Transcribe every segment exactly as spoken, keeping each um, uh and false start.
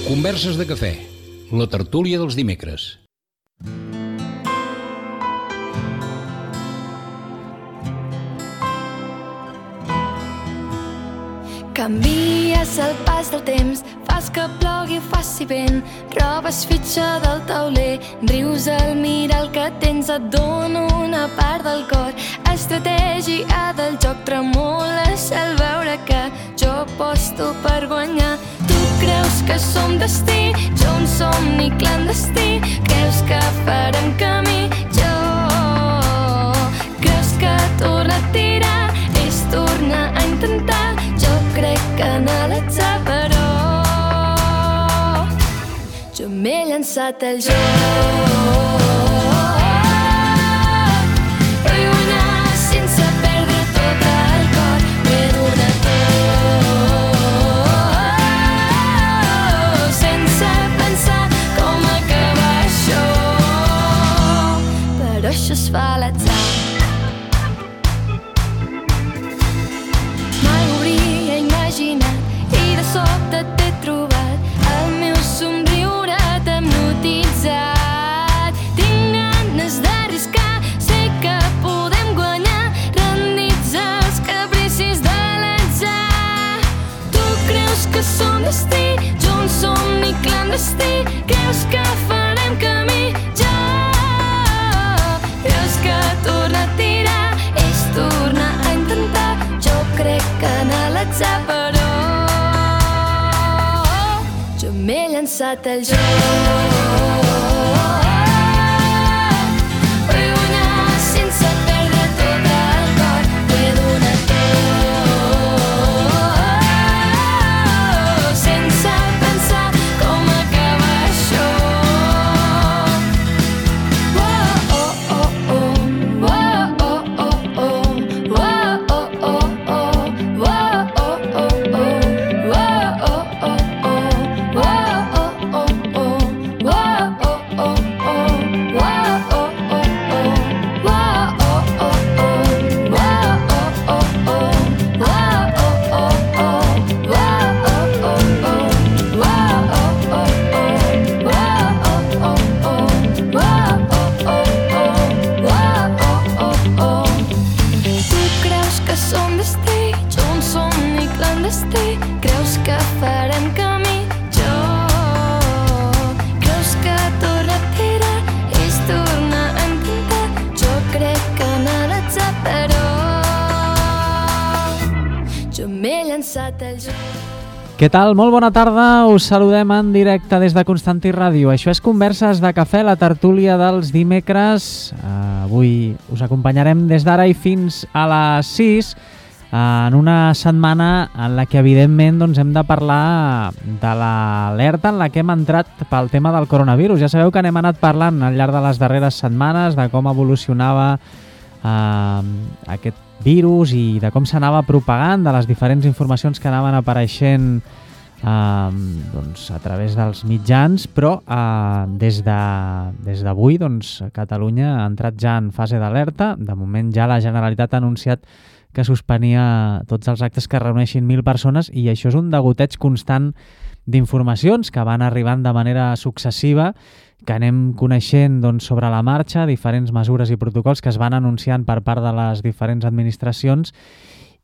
Converses de cafè, la tertúlia dels dimecres. Canvies el pas del temps, fas que plogui o faci vent, robes fitxa del tauler, rius al mirar el que tens, et dono una part del cor. Estratègia del joc, tremoles al veure que jo aposto per guanyar. Tu creus que som destí, jo un somni clandestí, creus que farem camí, jo creus que tornar a tirar és tornar a intentar. Jo crec que en l'atzar, però jo m'he llançat al joc. Vull guanyar sense perdre tot el cor, m'he donat tot, sense pensar com acabar això, però això es fa a l'atzar. I de sobte t'he trobat, el meu somriure t'ha hipnotitzat. Tinc ganes d'arriscar, sé que podem guanyar, rendits als capricis de l'atzar. Tu creus que som destí, jo un somni clandestí, creus que farem camí, jo creus que tornar a tirar és tornar a intentar. Jo crec que en l'atzar, però jo m'he llançat al joc. Vull guanyar sense perdre tot el cor, m'he donat tot, sense pensar com acabar això. Oh, oh, oh, oh, oh, oh, oh, oh, oh, oh, oh, creus que farem camí, jo creus que tornar a tirar és tornar a intentar. Jo crec que en l'atzar, però jo m'he llançat al joc. Què tal? Molt bona tarda, us saludem en directe des de Constantí Ràdio. Això és Converses de Cafè, la tertúlia dels dimecres. Uh, avui us acompanyarem des d'ara i fins a les sis, en una setmana en la que evidentment doncs, hem de parlar de l'alerta en la que hem entrat pel tema del coronavirus. Ja sabeu que n'hem anat parlant al llarg de les darreres setmanes de com evolucionava eh, aquest virus i de com s'anava propagant, de les diferents informacions que anaven apareixent eh, doncs, a través dels mitjans, però eh, des de, des d'avui doncs, Catalunya ha entrat ja en fase d'alerta. De moment ja la Generalitat ha anunciat que suspenia tots els actes que reuneixin mil persones, i això és un degoteig constant d'informacions que van arribant de manera successiva, que anem coneixent doncs, sobre la marxa, diferents mesures i protocols que es van anunciant per part de les diferents administracions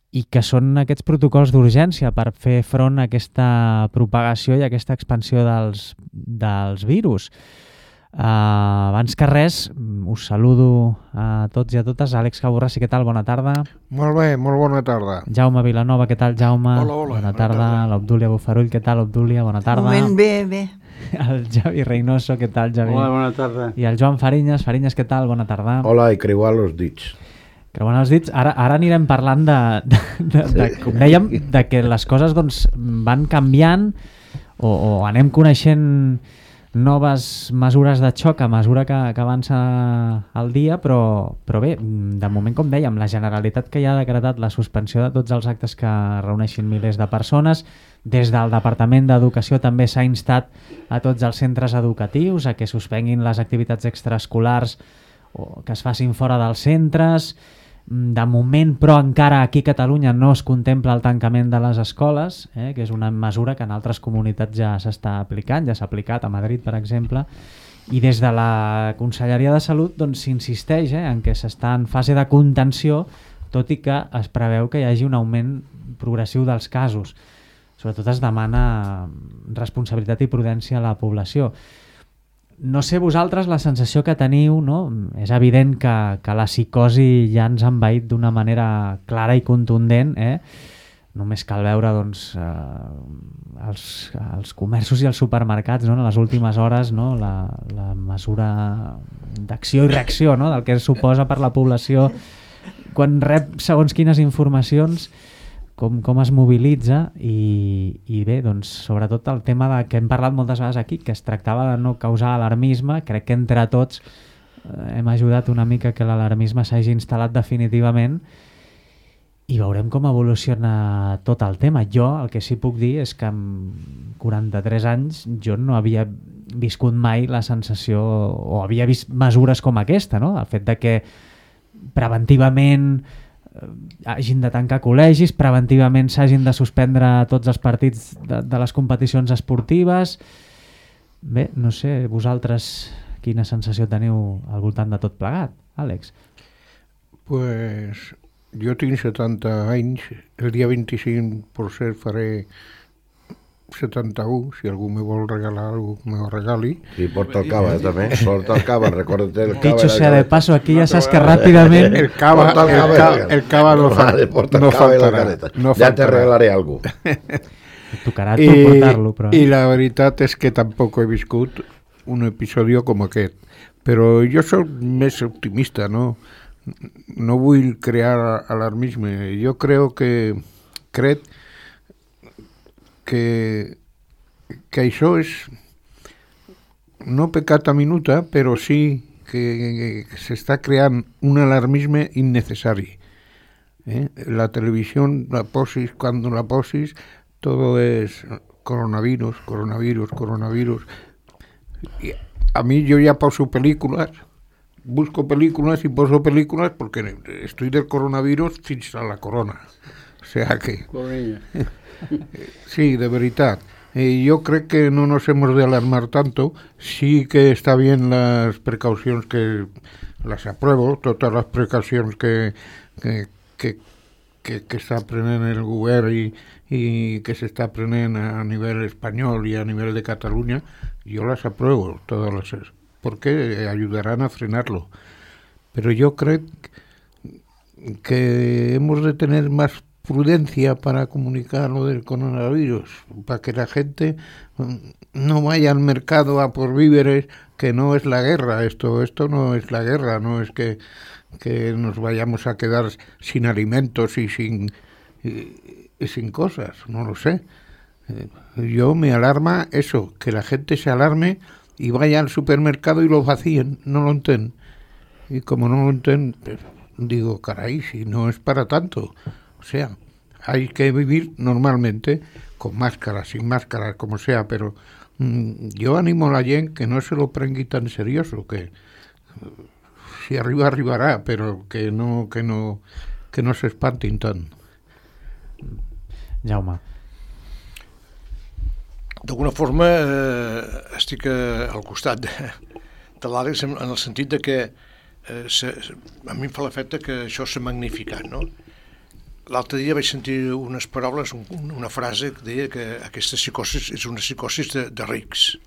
i que són aquests protocols d'urgència per fer front a aquesta propagació i a aquesta expansió dels, dels virus. Uh, abans que res, us saludo a tots i a totes. Àlex Caborràs, què tal? Bona tarda. Molt bé, molt bona tarda. Jaume Vilanova, què tal, Jaume? Hola, hola. Bona tarda. Bona tarda. L'Obdúlia Bofarull, què tal, Obdúlia? Bona tarda. Un moment, bé, bé. El Javi Reynoso, què tal, Javi? Hola, bona tarda. I el Joan Farinyes. Farinyes, què tal? Bona tarda. Hola, i creuar els dits. Creuant els dits. Ara, ara anirem parlant de, de, de, de, com dèiem, de que les coses doncs, van canviant o, o anem coneixent noves mesures de xoc a mesura que, que avança el dia, però, però bé, de moment, com dèiem, la Generalitat que ja ha decretat la suspensió de tots els actes que reuneixin milers de persones. Des del Departament d'Educació també s'ha instat a tots els centres educatius a que suspenguin les activitats extraescolars o que es facin fora dels centres. De moment, però, encara aquí a Catalunya no es contempla el tancament de les escoles, eh, que és una mesura que en altres comunitats ja s'està aplicant, ja s'ha aplicat a Madrid, per exemple, i des de la Conselleria de Salut doncs, s'insisteix eh, en que s'està en fase de contenció, tot i que es preveu que hi hagi un augment progressiu dels casos. Sobretot es demana responsabilitat i prudència a la població. No sé vosaltres la sensació que teniu, no? És evident que, que la psicosi ja ens ha envaït d'una manera clara i contundent, eh? Només cal veure doncs, eh, els, els comerços i els supermercats, no? En les últimes hores, no? la, la mesura d'acció i reacció, no? Del que suposa per la població quan rep segons quines informacions, com, com es mobilitza i, i bé, doncs, sobretot el tema de, que hem parlat moltes vegades aquí, que es tractava de no causar alarmisme. Crec que entre tots eh, hem ajudat una mica que l'alarmisme s'hagi instal·lat definitivament i veurem com evoluciona tot el tema. Jo el que sí puc dir és que amb quaranta-tres anys jo no havia viscut mai la sensació, o havia vist mesures com aquesta, no? El fet de que preventivament hagin de tancar col·legis, preventivament s'hagin de suspendre tots els partits de, de les competicions esportives. Bé, no sé, vosaltres quina sensació teniu al voltant de tot plegat, Àlex? Pues jo tinc setanta anys, el dia vint-i-cinc per cert faré setanta-u, si algú me vol regalar algú me ho regali. I porta el cava, també. Porta el cava, recorda't el cava. Dicho sea de paso, aquí ja saps que ràpidament... El cava, el cava, el cava no, vale, porta el no cava faltarà. No ja te regalaré algú. Tocarà tu portar-lo, però... I la veritat és que tampoc he viscut un episodi com aquest. Però jo soc més optimista, no? No vull crear alarmisme. Jo crec que... crec que, que això és no peccata minuta, però sí que, que s'està creant un alarmisme innecessari. Eh? La televisió, la posis, quan la posis, tot és coronavirus, coronavirus, coronavirus. I a mi jo ja poso pel·lícules, busco pel·lícules i poso pel·lícules perquè estic del coronavirus fins a la corona. O sea que... Sí, de veritat. Eh, yo creo que no nos hemos de alarmar tanto. Sí que está bien las precaucions que las apruebo, totes les precaucions que, que, que, que, que està prenent el govern i, i que s'està prenent a nivell espanyol i a nivell de Catalunya, yo las apruebo todas las, porque ayudarán a frenarlo. Pero yo creo que hemos de tener más prudencia para comunicar lo del coronavirus, para que la gente no vaya al mercado a por víveres, que no es la guerra, esto esto no es la guerra, no es que, que nos vayamos a quedar sin alimentos y sin, y, y sin cosas, no lo sé. Yo me alarma eso, que la gente se alarme y vaya al supermercado y lo vacíen, no lo entienden. Y como no lo entienden, pues, digo, caray, si no es para tanto. O sea, hay que vivir normalmente, con máscara, sin máscara, como sea, pero mmm, yo animo a la gent que no se lo prengui tan serioso, que uh, si arriba, arribarà, però que no, que no, que no s'espantin tant. Jaume. D'alguna forma eh, estic al costat de, de l'Àlex en el sentit de que eh, se, a mi em fa l'efecte que això s'ha magnificat, no? L'altre dia vaig sentir unes paraules, un, una frase que deia que aquesta psicosi és una psicosi de, de rics.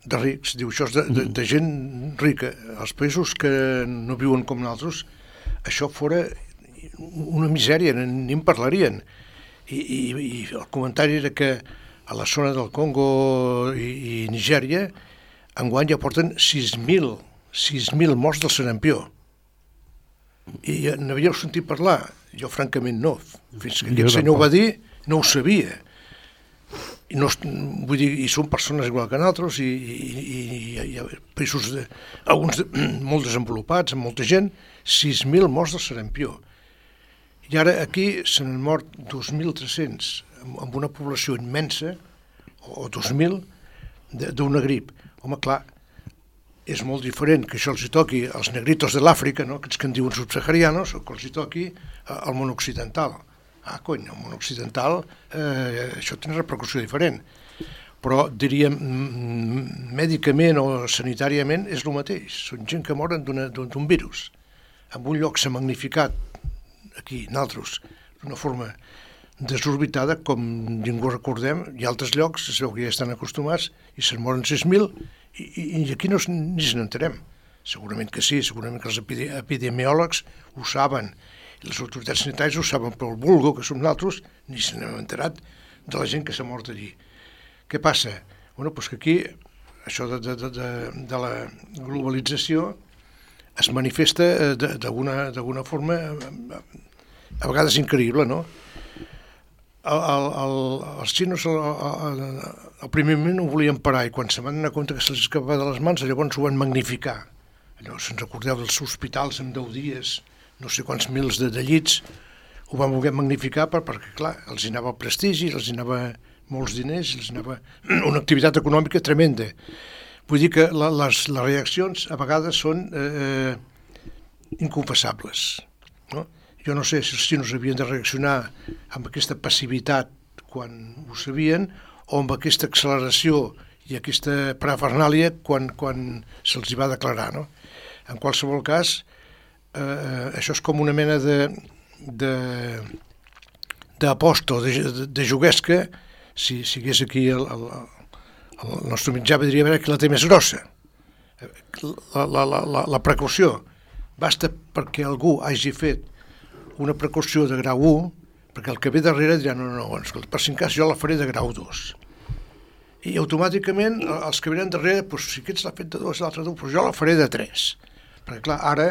De rics, diu, això és de, de, de gent rica. Els països que no viuen com nosaltres, això fora una misèria, ni en parlarien. I, i, i el comentari era que a la zona del Congo i, i Nigèria enguany ja porten sis mil morts del sarampió. I n'havíeu sentit parlar? Jo francament no. Fins que aquest senyor ho va dir, no ho sabia. i, no, vull dir, i són persones igual que nosaltres, i, i, i hi ha països, de, alguns de, molt desenvolupats, amb molta gent, sis mil morts del sarampió. I ara aquí se n'han mort dos mil tres-cents, amb una població immensa, o dos mil, d'una grip. Home, clar, és molt diferent que això els hi toqui als negritos de l'Àfrica, no? Aquests que en diuen subsaharianos, o que els hi toqui al món occidental. Ah, cony, al món occidental eh, això té una repercussió diferent. Però, diríem, mèdicament o sanitàriament és el mateix. Són gent que moren d'un virus. En un lloc s'ha magnificat, aquí, nosaltres, d'una forma desorbitada, com ningú recordem, i altres llocs es veu que ja estan acostumats i se'n moren sis mil i, i, i aquí no, ni se n'enterem. Segurament que sí, segurament que els epidemiòlegs ho saben, i les autoritats sanitàries ho saben, però el vulgo, que som nosaltres, ni se n'hem enterat de la gent que s'ha mort allí. Què passa? Bueno, doncs que aquí, això de, de, de, de la globalització es manifesta d'alguna forma, a vegades increïble, no? El, el, el, els xinos al, al, al primer moment ho volien parar i quan se van donar compte que se'ls escapava de les mans, llavors ho van magnificar. Allò, si ens recordeu dels hospitals en deu dies, no sé quants mils de, de llits, ho van voler magnificar per, perquè, clar, els hi anava el prestigi, els hi anava molts diners, els hi anava una activitat econòmica tremenda. Vull dir que la, les, les reaccions a vegades són eh, inconfessables, no? Jo no sé si els xinos havien de reaccionar amb aquesta passivitat quan ho sabien o amb aquesta acceleració i aquesta parafernàlia quan, quan se'ls hi va declarar, no? En qualsevol cas, eh, això és com una mena de d'aposta o de, de, de juguesca. Si sigués aquí el, el, el nostre mitjà diria a veure qui la té més grossa. La, la, la, la precaució basta perquè algú hagi fet una precaució de grau u, perquè el que ve darrere dirà no, no, no, per si en cas jo la faré de grau dos. I automàticament els que venen darrere, doncs, si aquests l'ha fet de dos, l'altre de dos, doncs jo la faré de tres. Perquè clar, ara,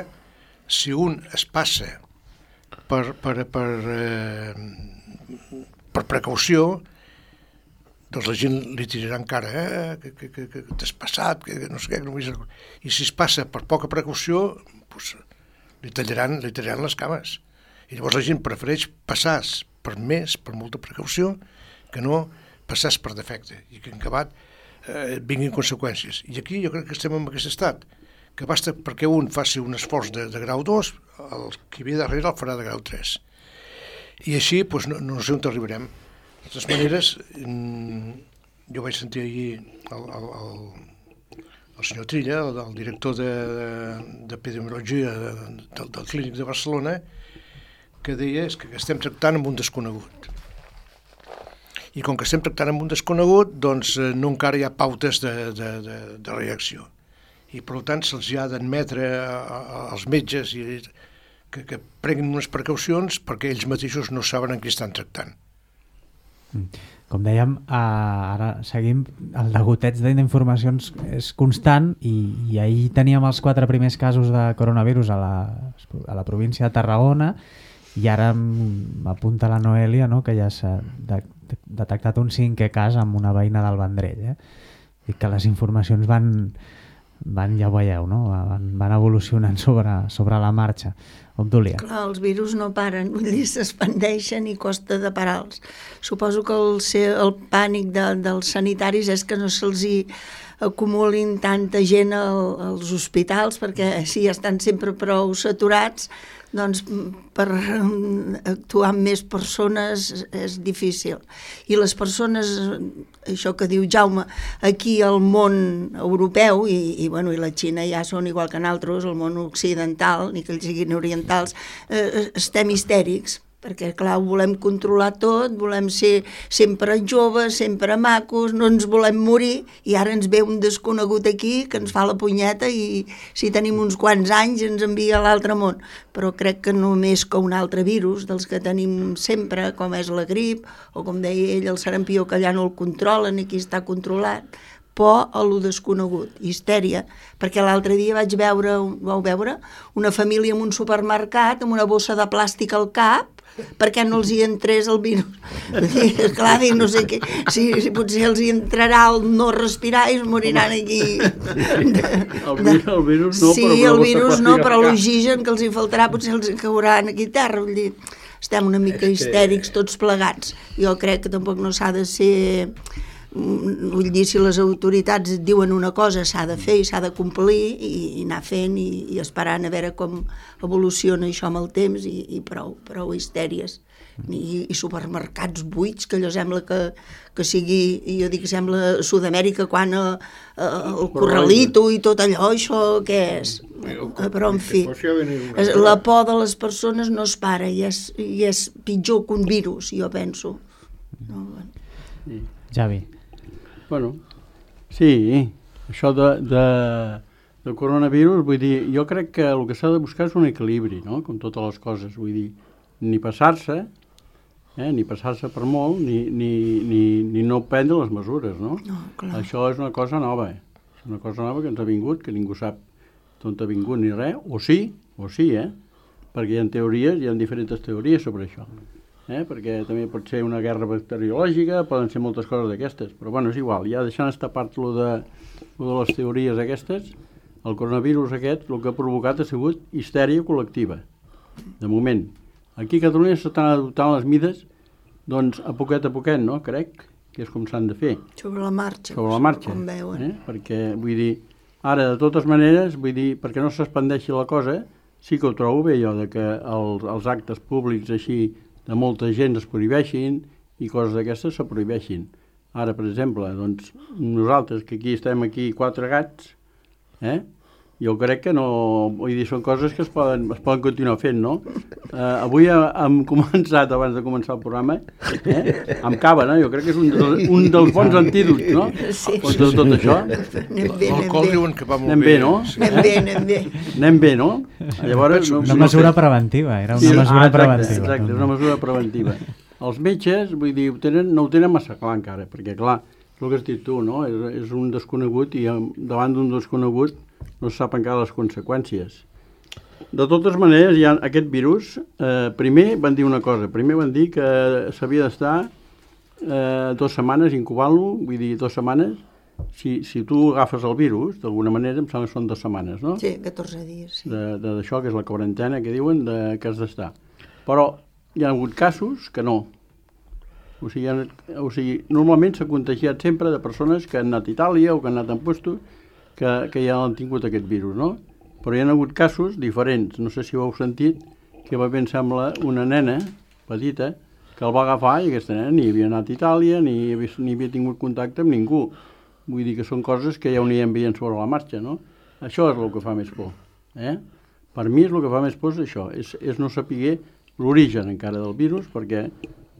si un es passa per, per, per, eh, per precaució, doncs la gent li tirarà encara, eh, que, que, que, que t'has passat, que no sé què, que no vull... I si es passa per poca precaució, doncs li tallaran, li tallaran les cames. I llavors la gent prefereix passar per més, per molta precaució, que no passar per defecte, i que en acabat eh, vinguin conseqüències. I aquí jo crec que estem en aquest estat, que basta perquè un faci un esforç de, de grau dos, el que ve darrere el farà de grau tres. I així doncs, no, no sé on arribarem. De totes maneres, jo vaig sentir ahir el, el, el, el senyor Trilla, el, el director d'epidemiologia de, de, del, del Clínic de Barcelona, que deia és que estem tractant amb un desconegut. I com que estem tractant amb un desconegut, doncs no encara hi ha pautes de, de, de, de reacció. I per tant se'ls ha d'admetre als metges i que, que prenguin unes precaucions perquè ells mateixos no saben en qui estan tractant. Com dèiem, ara seguim, el degoteig d'informacions és constant i, i ahir teníem els quatre primers casos de coronavirus a la, a la província de Tarragona i ara m'apunta la Noèlia, no?, que ja s'ha de, de, detectat un cinquè cas amb una veïna del Vendrell. Eh? I que les informacions van, van ja ho veieu, no? van, van evolucionant sobre, sobre la marxa. Obdúlia. Clar, els virus no paren, vull dir, s'expandeixen i costa de parar-los. Suposo que el, el pànic de, dels sanitaris és que no se'ls hi acumulin tanta gent al, als hospitals, perquè si estan sempre prou saturats, doncs per actuar amb més persones és difícil. I les persones, això que diu Jaume, aquí al món europeu, i, i, bueno, i la Xina ja són igual que nosaltres, el món occidental, ni que ells siguin orientals, eh, estem histèrics, perquè, clar, ho volem controlar tot, volem ser sempre joves, sempre macos, no ens volem morir, i ara ens ve un desconegut aquí que ens fa la punyeta i si tenim uns quants anys ens envia a l'altre món. Però crec que només que un altre virus dels que tenim sempre, com és la grip, o com deia ell, el sarampió, que allà no el controlen i aquí està controlat, por a lo desconegut, histèria, perquè l'altre dia vaig veure, vau veure, una família en un supermercat amb una bossa de plàstic al cap, perquè no els hi entrés el virus. Clar, dic, no sé què, si, si potser els hi entrarà el no respirar i es moriran aquí. De, el, virus, el virus no, sí, però el virus no, però l'oxigen que els hi faltarà potser els cauran aquí a terra. Vull dir, estem una mica histèrics tots plegats. Jo crec que tampoc no s'ha de ser... Vull dir, si les autoritats diuen una cosa s'ha de fer i s'ha de complir i, i anar fent i, i esperant a veure com evoluciona això amb el temps i, i prou, prou histèries I, i supermercats buits, que allò sembla que, que sigui, jo dic que sembla Sud-amèrica quan a, a, el Corralito i tot allò, això què és? Però en fi, la por de les persones no es para i és, i és pitjor que un virus, jo penso. No, bueno. Javi. Bueno, sí, això de, de, de coronavirus, vull dir, jo crec que el que s'ha de buscar és un equilibri, no?, com totes les coses, vull dir, ni passar-se, eh, ni passar-se per molt, ni, ni, ni, ni no prendre les mesures, no? No, clar. Això és una cosa nova, és una cosa nova que ens ha vingut, que ningú sap d'on ha vingut ni res, o sí, o sí, eh, perquè hi ha teories, hi ha diferents teories sobre això. Eh? Perquè també pot ser una guerra bacteriològica, poden ser moltes coses d'aquestes, però bueno, és igual, ja deixant estar part lo de, lo de les teories aquestes, el coronavirus aquest el que ha provocat ha sigut histèria col·lectiva, de moment. Aquí a Catalunya s'estan adoptant les mides, doncs a poquet a poquet, no?, crec, que és com s'han de fer. Sobre la marxa. Sobre la marxa, com veuen. Eh? Perquè, vull dir, ara, de totes maneres, vull dir, perquè no s'expandeixi la cosa, sí que ho trobo bé, jo, de que els, els actes públics així de molta gent es prohibeixin i coses d'aquestes se prohibeixin. Ara, per exemple, doncs, nosaltres, que aquí estem aquí quatre gats, eh? Jo crec que no... Vull dir, són coses que es poden, es poden continuar fent, no? Uh, avui hem començat, abans de començar el programa, eh? amb cava, no? Jo crec que és un, dels, un dels bons antídots, no? Sí. Contra tot això. L'alcohol diuen que va molt anem bé. bé, no? Anem bé, anem bé. Anem bé, no? Llavors, no, Una no mesura sé. preventiva, era una Sí, mesura ah, exacte, preventiva. Exacte, és una mesura preventiva. Els metges, vull dir, ho tenen, no ho tenen massa clar encara, perquè clar, és el que has dit tu, no? És, és un desconegut i davant d'un desconegut no se sap encara les conseqüències. De totes maneres, hi ha aquest virus, eh, primer van dir una cosa, primer van dir que s'havia d'estar eh, dues setmanes incubant-lo, vull dir, dues setmanes, si, si tu agafes el virus, d'alguna manera, em sembla que són dues setmanes, no? Sí, catorze dies, sí. D'això, que és la quarantena, que diuen de, que has d'estar. Però hi ha hagut casos que no. O sigui, ha, o sigui normalment s'ha contagiat sempre de persones que han anat a Itàlia o que han anat en puestos que, que ja han tingut aquest virus, no? Però hi ha hagut casos diferents, no sé si ho heu sentit, que va bé, em sembla, una nena petita que el va agafar i aquesta nena ni havia anat a Itàlia ni havia, ni havia tingut contacte amb ningú. Vull dir que són coses que ja ho anirem veient sobre la marxa, no? Això és el que fa més por, eh? Per mi és el que fa més por és això, és, és no saber l'origen encara del virus, perquè,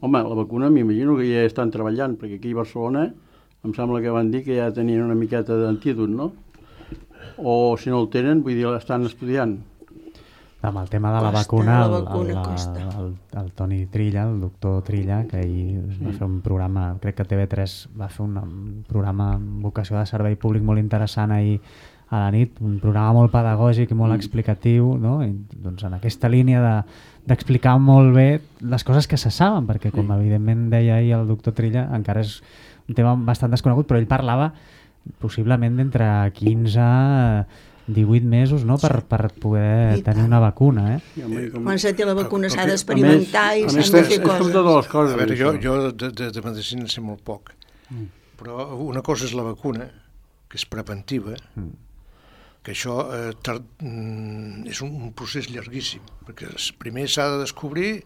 home, la vacuna m'imagino que ja estan treballant, perquè aquí a Barcelona em sembla que van dir que ja tenien una miqueta d'antídot, no? O si no el tenen, vull dir, l'estan estudiant. Amb el tema de la Costa, vacuna, la el, vacuna el, costa. el, el Toni Trilla, el doctor Trilla, que ahir va fer un programa, crec que T V tres va fer un, un programa amb vocació de servei públic molt interessant ahir a la nit, un programa molt pedagògic i molt explicatiu, no? I, doncs en aquesta línia de, d'explicar molt bé les coses que se saben, perquè com evidentment deia ahir el doctor Trilla, encara és un tema bastant desconegut, però ell parlava possiblement d'entre quinze a divuit mesos, no?, per, per poder I tenir tant. una vacuna, eh? I, home, com... Quan se té la vacuna s'ha A- a- d'experimentar i a s'han més, de és- fer és com coses. totes les coses. A veure, jo, això. jo de, de, de medicina en sé molt poc, mm. però una cosa és la vacuna, que és preventiva, mm. que això eh, tard, mm, és un, un procés llarguíssim, perquè primer s'ha de descobrir,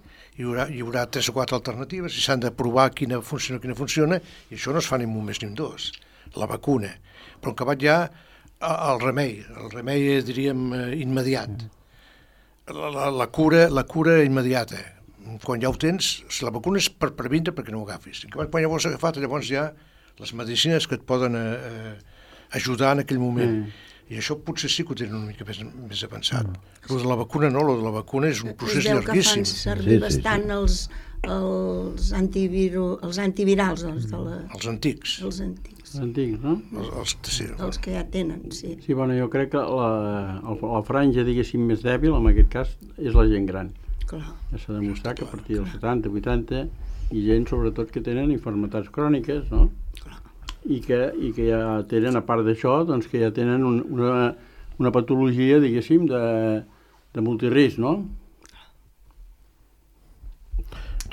hi haurà, hi haurà tres o quatre alternatives, i s'han de provar quina funciona, quina funciona, i això no es fa ni un mes ni un dos, la vacuna. Però en acabat ja el remei, el remei, diríem, immediat. La, la, la, cura, la cura immediata. Quan ja ho tens, la vacuna és per previndre perquè no ho agafis. Quan ja ho has agafat, llavors ja les medicines que et poden eh, ajudar en aquell moment. Mm. I això potser sí que ho tenen una mica més, més avançat. Mm. Lo de la vacuna no, lo de la vacuna és un procés es veu llarguíssim. que fan servir Sí, sí, bastant sí. els, els, antiviru, els antivirals, els, de la, Els antics, els antics, Antics, no? els, els, sí, els que ja tenen, sí. Sí, bueno, jo crec que la, la franja, diguéssim, més dèbil, en aquest cas, és la gent gran. Clar. Ja s'ha demostrat que a partir dels setanta, vuitanta, i gent sobretot que tenen infermetats cròniques, no? I que, i que ja tenen, a part d'això, doncs que ja tenen un, una, una patologia, diguéssim, de, de multirisc, no?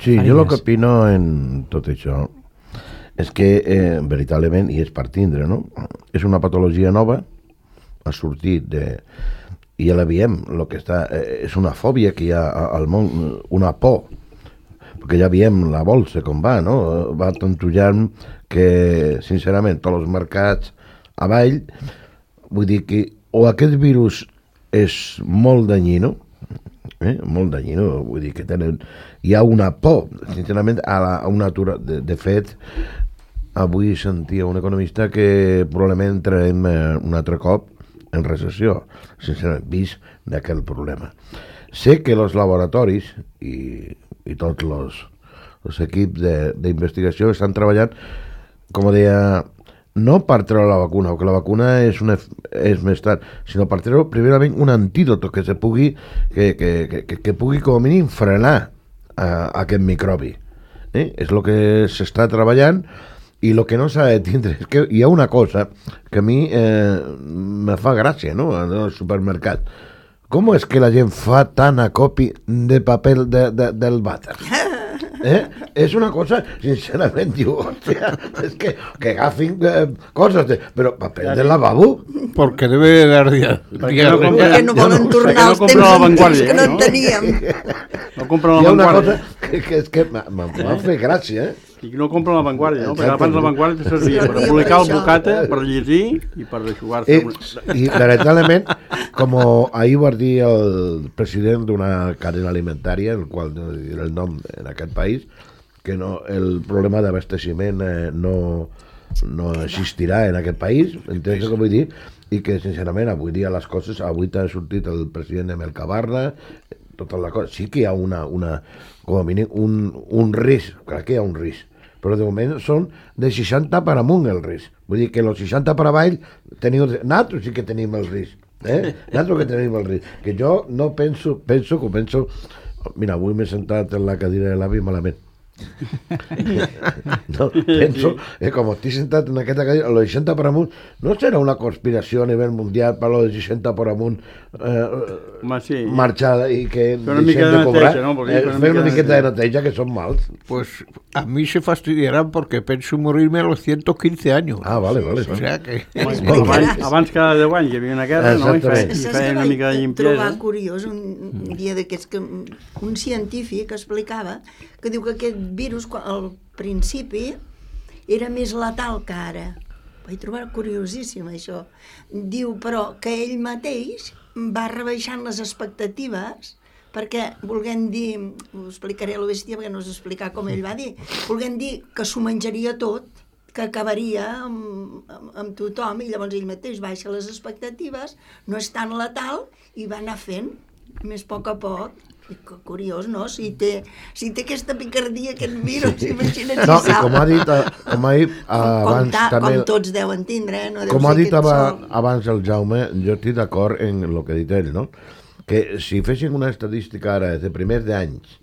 Sí, jo el que opino en tot això és que, eh, veritablement, i és per tindre, no? És una patologia nova, ha sortit de... I ja la veiem, el que està... Eh, és una fòbia que hi ha al món, una por, perquè ja veiem la bolsa com va, no? Va tantullant que, sincerament, tots els mercats avall, vull dir que o aquest virus és molt danyino, eh? molt danyino, vull dir que tenen... Hi ha una por, sincerament, a, la, a una atura. De, de fet, avui sentia un economista que probablement entrarem eh, un altre cop en recessió, sincerament, vist d'aquell problema. Sé que els laboratoris i, i tots els, els equips d'investigació estan treballant, com deia, no per treure la vacuna, perquè la vacuna és, una, és més tard, sinó per treure primerament un antídot que se pugui, que, que, que, que pugui com a mínim frenar a aquest microbi. Eh? És el que s'està treballant i el que no s'ha de tindre és que hi ha una cosa que a mi eh, me fa gràcia, no?, al supermercat. Com és que la gent fa tant acopi de paper de, de, del vàter? Eh? És una cosa, sincerament, diu, hòstia, és que, que agafin eh, coses, de, però paper de lavabo. Porque debe dar día. Perquè no, com, Perquè no volen no, tornar no als temps antics que no en no? teníem. No compren Hi la ha una Vanguardia. cosa que, que és que m'ha fet gràcia, eh? I no compren la Vanguardia, no? Perquè Exacte. abans la Vanguardia servia per Servia publicar per el això. bocata, per llegir i per aixugar-se. Eh, una- I veritablement, com ahir va dir el president d'una cadena alimentària, el qual no diré el nom en aquest país, que no, el problema d'abasteciment eh, no, no existirà en aquest país, entens el que vull dir? I que, sincerament, avui dia les coses, avui t'ha sortit el president de Mercabarna, totes les coses, sí que hi ha una, una com a mínim, un, un risc, crec que hi ha un risc, però de moment són de seixanta per amunt el risc. Vull dir que els seixanta per avall teniu... Nosaltres sí que tenim el risc, eh? Nosaltres que tenim el risc. Que jo no penso, penso que penso... Mira, avui m'he sentat en la cadira de l'avi malament. No, penso que com estic sentat en aquesta cadira, el seixanta per amunt, no serà una conspiració a nivell mundial per el seixanta per amunt eh, Home, sí. marxada i que Fer una mica deixem de cobrar, neteja, no? Perquè eh, fer una fer una mica de miqueta de neteja. neteja, que són mals. Pues a mí se fastidiarán porque pienso morirme a los ciento quince años. Ah, vale, vale. O sea que... Home, explicaràs. abans, abans cada deu anys hi havia una guerra, no? I feia, i Saps feia que una mica de vaig trobar limpiesa. curiós un, un dia d'aquests que un científic explicava que diu que aquest virus quan, al principi era més letal que ara. Vaig trobar curiosíssim això. Diu però que ell mateix va rebaixant les expectatives perquè, volguem dir, ho explicaré a la bèstia perquè no us explicar com ell va dir, volguem dir que s'ho menjaria tot, que acabaria amb, amb, amb tothom, i llavors ell mateix baixa les expectatives, no és tan letal, i va anar fent més a poc a poc. I que curiós, no? Si té, si té aquesta picardia, aquest virus, imagina't si No, i sap. com ha dit, eh, com ha dit com, abans ta, també... com tots deuen tindre, eh? No deu Com ha ser dit aquest aba, sol. abans el Jaume, jo estic d'acord en el que ha dit ell, no? Que si fessin una estadística ara de primers d'anys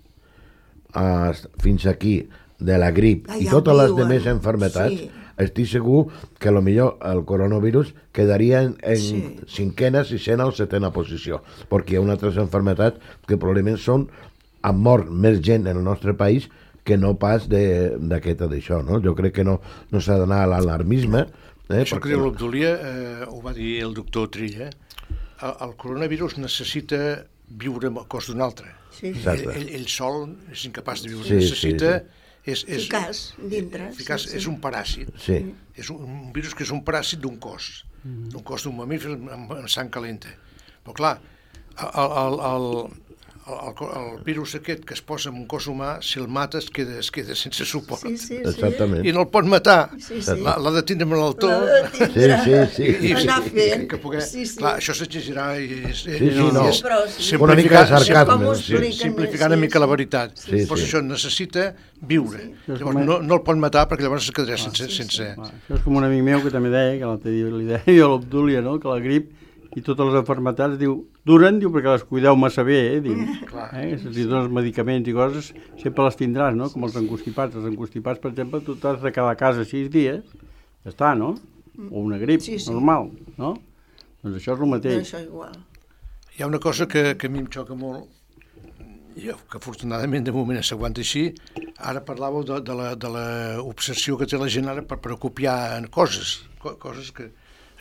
a, fins aquí de la grip Ah, i ja ho totes les diuen, demés enfermetats, sí. estic segur que a lo millor el coronavirus quedaria en, en Sí. cinquena, sisena o setena posició, perquè hi ha altres enfermetats que probablement són, han mort més gent en el nostre país que no pas d'aquesta d'això, no? Jo crec que no, no s'ha d'anar a l'alarmisme. Eh, Això que diu l'Obdolia, eh, ho va dir el doctor Trilla, el, el coronavirus necessita viure al cos d'un altre. Sí, sí. Exacte. Ell, ell sol és incapaç de viure, Sí, necessita... sí, És, és, Eficaç, dintre. eficaç, sí, sí. és un paràsit. Sí. És un, un virus que és un paràsit d'un cos, d'un cos d'un mamífer amb, amb sang calenta. Però clar, el, el, el, el, el virus aquest que es posa en un cos humà, si el mata es queda, es queda sense suport. Sí, sí, sí. Exactament. I no el pot matar, Sí, sí. l'ha l'ha de tindre amb l'altor. L'ha de tindre. Sí, sí, sí. I, Anar fent. que poder, Sí, sí. Clar, això s'exigirà i és, Sí, sí, no. és Però sí. Una mica de simplificar, sarcasme, Com ho sí. expliquen, simplificar sí, una mica sí. la veritat. Sí, sí. Pues això necessita viure. Sí. Llavors no, no el pot matar perquè llavors es quedarà sense... sense... Va, això és com un amic meu que també deia, que l'altre dia li deia jo a l'Obdúlia, no? Que la grip i totes les malalties, diu, duren, diu, perquè les cuideu massa bé, eh, diu. Eh? Si li dones medicaments i coses, sempre les tindràs, no? Com els encostipats. Els encostipats, per exemple, tu t'has de quedar a casa sis dies, ja està, no? O una grip sí, sí. normal, no? Doncs això és el mateix. No, això igual. Hi ha una cosa que, que a mi em xoca molt, jo, que afortunadament de moment s'aguanta així. Ara parlàveu de, de, la, de la obsessió que té la gent ara per, per copiar coses, co coses que,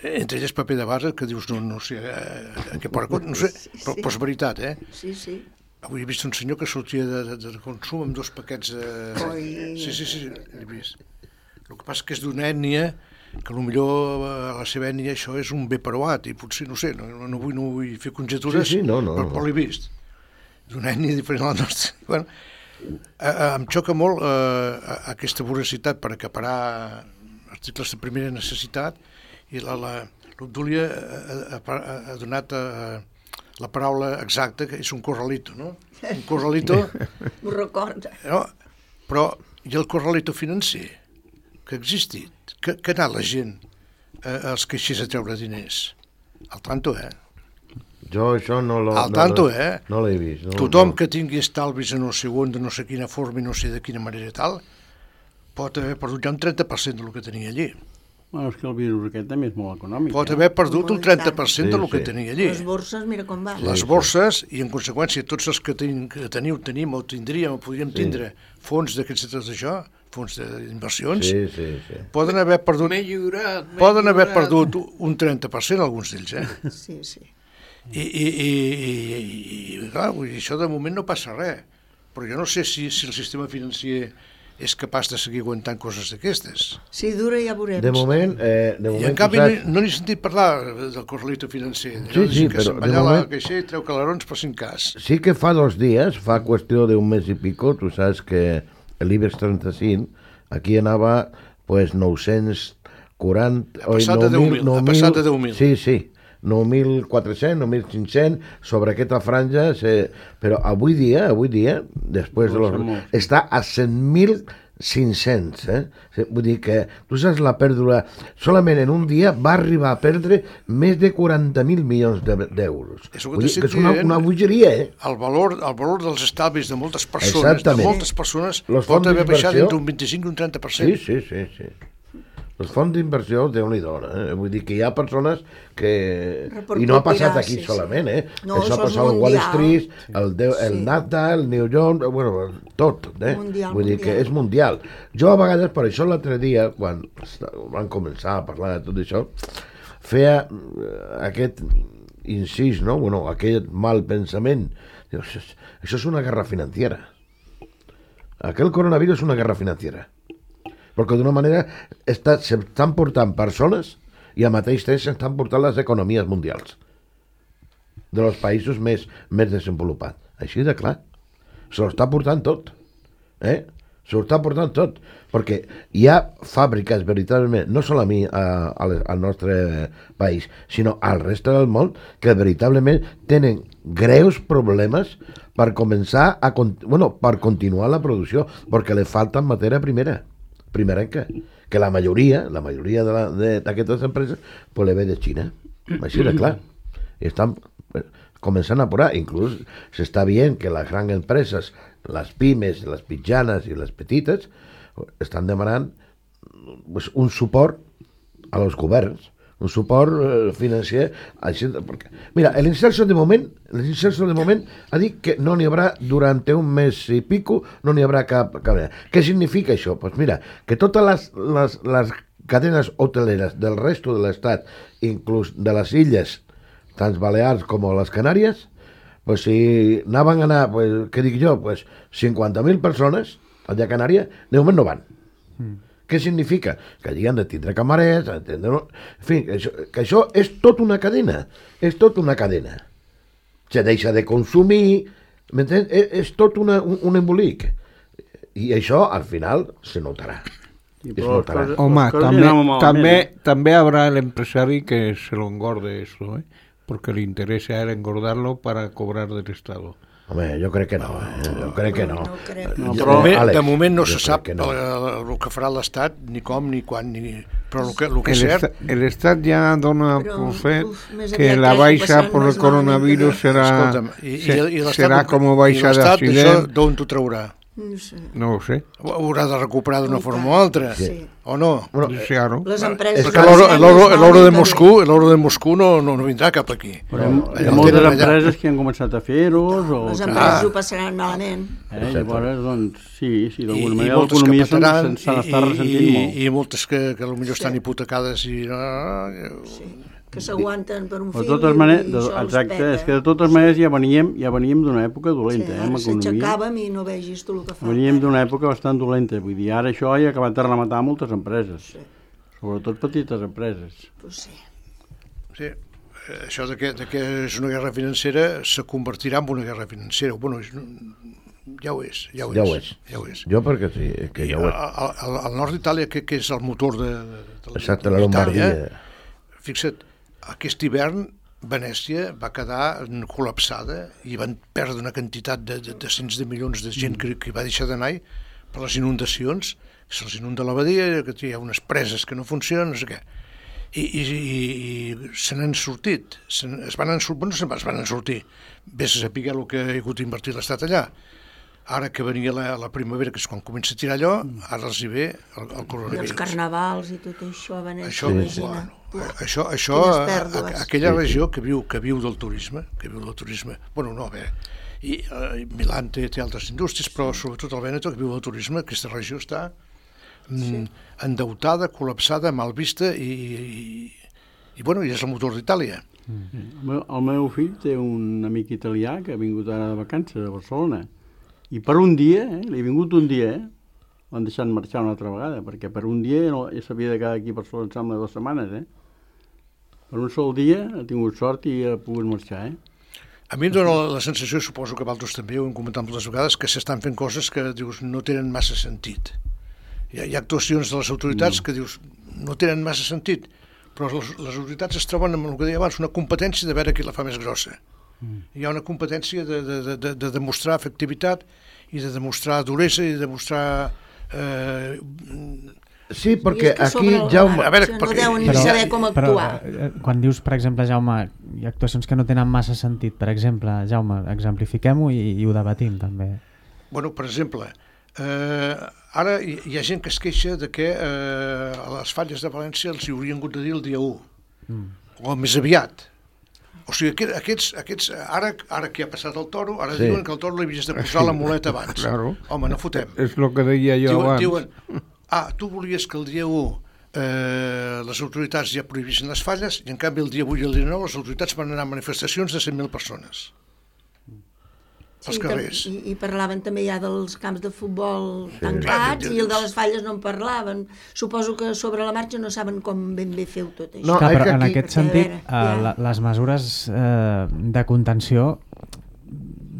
entre elles paper de base, que dius, no, no sé, a què porta, no sé, sí, però, sí. però és veritat, eh? Sí, sí. Avui he vist un senyor que sortia de, de, de consum amb dos paquets de... Oi. Sí, sí, sí, l'he vist. El que passa que és d'una ètnia, que potser a la seva ètnia això és un bé preuat, i potser, no sé, no, no, vull, no vull fer conjectures, sí, sí, no, no, però, però l'he vist. D'una ètnia diferent a la nostra. Bueno, a, a, em xoca molt eh, aquesta voracitat per acaparar articles de primera necessitat, i l'Obdúlia ha, ha, ha donat a, a la paraula exacta, que és un corralito, no? Un corralito... Ho recorda. No? Però, i el corralito financer, que ha existit, que, que ha anat la gent eh, als caixers a treure diners. Al tanto, eh? Jo això no l'he Al tanto, no, eh? No l'he vist. No, Tothom no. que tingui estalvis en no sé on, de no sé quina forma i no sé de quina manera tal, pot haver perdut ja un trenta per cent del que tenia allí. Bueno, és que el virus aquest també és molt econòmic. Pot eh? haver perdut un trenta per cent Sí, del que sí. tenia allí. Les borses, mira com va. Les borses, i en conseqüència tots els que, ten, que teniu, tenim o tindríem o podríem tindre fons d'aquests de tot això, fons d'inversions, Sí, sí, sí. poden haver perdut, lliurat, poden haver perdut un trenta per cent alguns d'ells, eh? Sí, sí. I, i, i, i, i clar, vull dir, això de moment no passa res, però jo no sé si, si el sistema financer és capaç de seguir aguantant coses d'aquestes. Si dura ja veurem. De moment... Eh, de I moment en canvi saps... no, no n'he sentit parlar del corralito financer. Sí, sí, que però se'n va de allà a moment- la caixer i treu calarons per cinc cas. Sí que fa dos dies, fa qüestió d'un mes i pico, tu saps que l'IBEX trenta-cinc aquí anava pues, nou-cents quaranta... Ha passat de deu mil, ha passat de deu mil. Sí, sí, nou mil quatre-cents, nou mil cinc-cents, sobre aquesta franja, se... però avui dia, avui dia, després de los... està a cent mil cinc-cents, eh? Vull dir que, tu saps la pèrdua, solament en un dia va arribar a perdre més de quaranta mil milions d'euros. És el que Vull dir t'estic que és una, dient. una bogeria, eh? El valor, el valor dels estalvis de moltes persones, Exactament. de moltes persones, Los pot fons haver baixat d'inversió- entre un vint-i-cinc i un trenta per Sí, cent. sí, sí, sí. Els fons d'inversió, Déu-n'hi-do, eh? Vull dir que hi ha persones que... I no ha passat aquí Sí, sí. solament, eh? No, això ha això és passat al Wall mundial. Street, el, de, el Sí. Nasdaq, el New York, bueno, tot, eh? Mundial, Vull dir que mundial. és mundial. Jo a vegades, per això l'altre dia, quan van començar a parlar de tot això, feia eh, aquest incís, no? Bueno, aquest mal pensament. Diu, això, és- això és una guerra financiera. Aquell coronavirus és una guerra financiera. Perquè d'una manera està, s'estan portant persones i al mateix temps s'estan portant les economies mundials de los països més, més desenvolupats. Així de clar. Se l'està portant tot. Eh? Se l'està portant tot. Perquè hi ha fàbriques, veritablement, no solament a, a, al nostre país, sinó al reste del món, que veritablement tenen greus problemes per començar a, bueno, per continuar la producció, perquè li falta matèria primera. primerenca, que la majoria, la majoria d'aquestes empreses, pues le ve de Xina. Així de clar. I estan començant a apurar. Inclús s'està veient que les grans empreses, les pimes, les mitjanes i les petites, estan demanant pues, un suport a los governs, un suport eh, financer. Així, perquè, mira, l'Inserso de moment, l'Inserso de moment ha dit que no n'hi haurà durant un mes i pico, no n'hi haurà cap, cap... Què significa això? Pues mira, que totes les, les, les cadenes hoteleres del resto de l'estat, inclús de les illes, tant Balears com les Canàries, pues si anaven a anar, pues, què dic jo, pues cinquanta mil persones allà a Canària, de moment no van. Mm. Què significa? Que allí han de tindre camarers, entendre... en fi, que això, que això és tot una cadena, és tot una cadena. Se deixa de consumir, m'entens? És, és tot una, un, un embolic. I això, al final, se notarà. Sí, Es però les notarà. coses- Home, les coses també, anaven malament, també, eh? també habrá el empresario que se lo engorde eso, ¿eh? Porque le interesa a él engordarlo para cobrar del Estado. Home, jo crec que no, eh? jo crec que no. No crec. No, De, però, moment, Àlex, de moment no jo se crec sap que el, no. el, el que farà l'Estat, ni com, ni quan, ni... Però el que, el que El, és cert... esta- el Estat ja dona Però, por fet uf, més que aviat la crec que baixa passaran por el més malament coronavirus que será, Escolta'm, i, i, se- i l'Estat- será como baixa i l'Estat, això d'accident. d'on t'ho traurà? No sé. No ho sé. Ho haurà de recuperar d'una I forma tant. o altra, Sí. o no? Bueno, Sí, claro. Les empreses... És que l'oro l'oro- l'oro de Moscú, l'oro de Moscú no, no, no vindrà cap aquí. però hi ha, hi Allà ha moltes tenen allà. empreses que han començat a fer-ho, o Les que, empreses ho passaran malament. eh, llavors, doncs, sí, sí, I, d'alguna i manera moltes que l'economia se'n petaran, se n'està i, ressentint i, molt. i moltes que, que potser estan Sí. hipotecades i... No, Sí. Que s'aguanten per un Però de fill totes i, maneres, i de, això els exacte, peta. és que de totes maneres ja veníem, ja veníem d'una època dolenta, Sí, eh, ara amb economia. s'aixecàvem i no vegis tu el que fa. Veníem d'una època bastant dolenta, vull dir, ara això ja ha acabat de rematar moltes empreses, Sí. sobretot petites empreses. Pues sí. sí, eh, això de que, de que és una guerra financera se convertirà en una guerra financera. Bueno, és, ja ho és, ja ho és. Ja ho és. Ja ho és. Jo perquè sí, és que I ja ho és. al, al, al nord d'Itàlia, que, que és el motor de, de, de Exacte, la d'Itàlia, Lombardia. Fixa't, aquest hivern Venècia va quedar col·lapsada i van perdre una quantitat de, de, de cents de milions de gent que, que va deixar d'anar per les inundacions, que se'ls inunda la badia, que hi ha unes preses que no funcionen, no sé què. I, i, i, i se n'han sortit, se es van en, bueno, se es van en sortir. Vés a saber el que ha hagut d'invertir l'Estat allà. Ara que venia la, la primavera, que és quan comença a tirar allò, ara els hi ve el, el I els coronavirus. carnavals i tot això a Venècia, Això, imagina. bueno, això, això Quines a, pèrdues. a, aquella regió que viu, que viu del turisme, que viu del turisme, bueno, no, bé, i eh, Milà té, té altres indústries, però sobretot el Vèneto, que viu del turisme, aquesta regió està mm, Sí. endeutada, col·lapsada, mal vista, i, i, i, bueno, i és el motor d'Itàlia. El meu, el meu fill té un amic italià que ha vingut ara de vacances a Barcelona, i per un dia, eh, li ha vingut un dia, eh, l'han deixat marxar una altra vegada, perquè per un dia no, ja s'havia de quedar aquí a Barcelona, em sembla, dues setmanes, eh? Per un sol dia ha tingut sort i ha pogut marxar, eh? A mi em dóna la, la sensació, suposo que vosaltres també ho hem comentat moltes vegades, que s'estan fent coses que dius no tenen massa sentit. Hi ha, hi ha actuacions de les autoritats mm. que dius no tenen massa sentit, però les, les autoritats es troben amb el que deia abans, una competència de veure qui la fa més grossa. Mm. Hi ha una competència de, de, de, de, de demostrar efectivitat i de demostrar duresa i de demostrar... Eh, Sí, I perquè és que aquí, sobre el Jaume... A veure, no perquè- deuen ni Però- saber com actuar. Però, eh, quan dius, per exemple, Jaume, hi ha actuacions que no tenen massa sentit, per exemple, Jaume, exemplifiquem-ho i, i ho debatim també. Bueno, per exemple, eh, ara hi, hi ha gent que es queixa de que eh, a les falles de València els hi haurien hagut de dir el dia u, mm. o més aviat. O sigui, aquest, aquests, aquests, ara, ara que ha passat el toro, ara Sí. sí. diuen que el toro li havies de posar la muleta abans. Claro. Home, no fotem. És el que deia jo Diuen, abans. diuen, ah, tu volies que el dia u eh, les autoritats ja prohibissin les falles i en canvi el dia vuit i el dia nou les autoritats van anar a manifestacions de cent mil persones als Sí, carrers. I, I parlaven també ja dels camps de futbol Sí. tancats Clar, i el de les falles no en parlaven. Suposo que sobre la marxa no saben com ben bé feu tot això. No, Clar, és però que en aquí- aquest Perquè, a sentit, veure, eh, ja- la, les mesures eh, de contenció,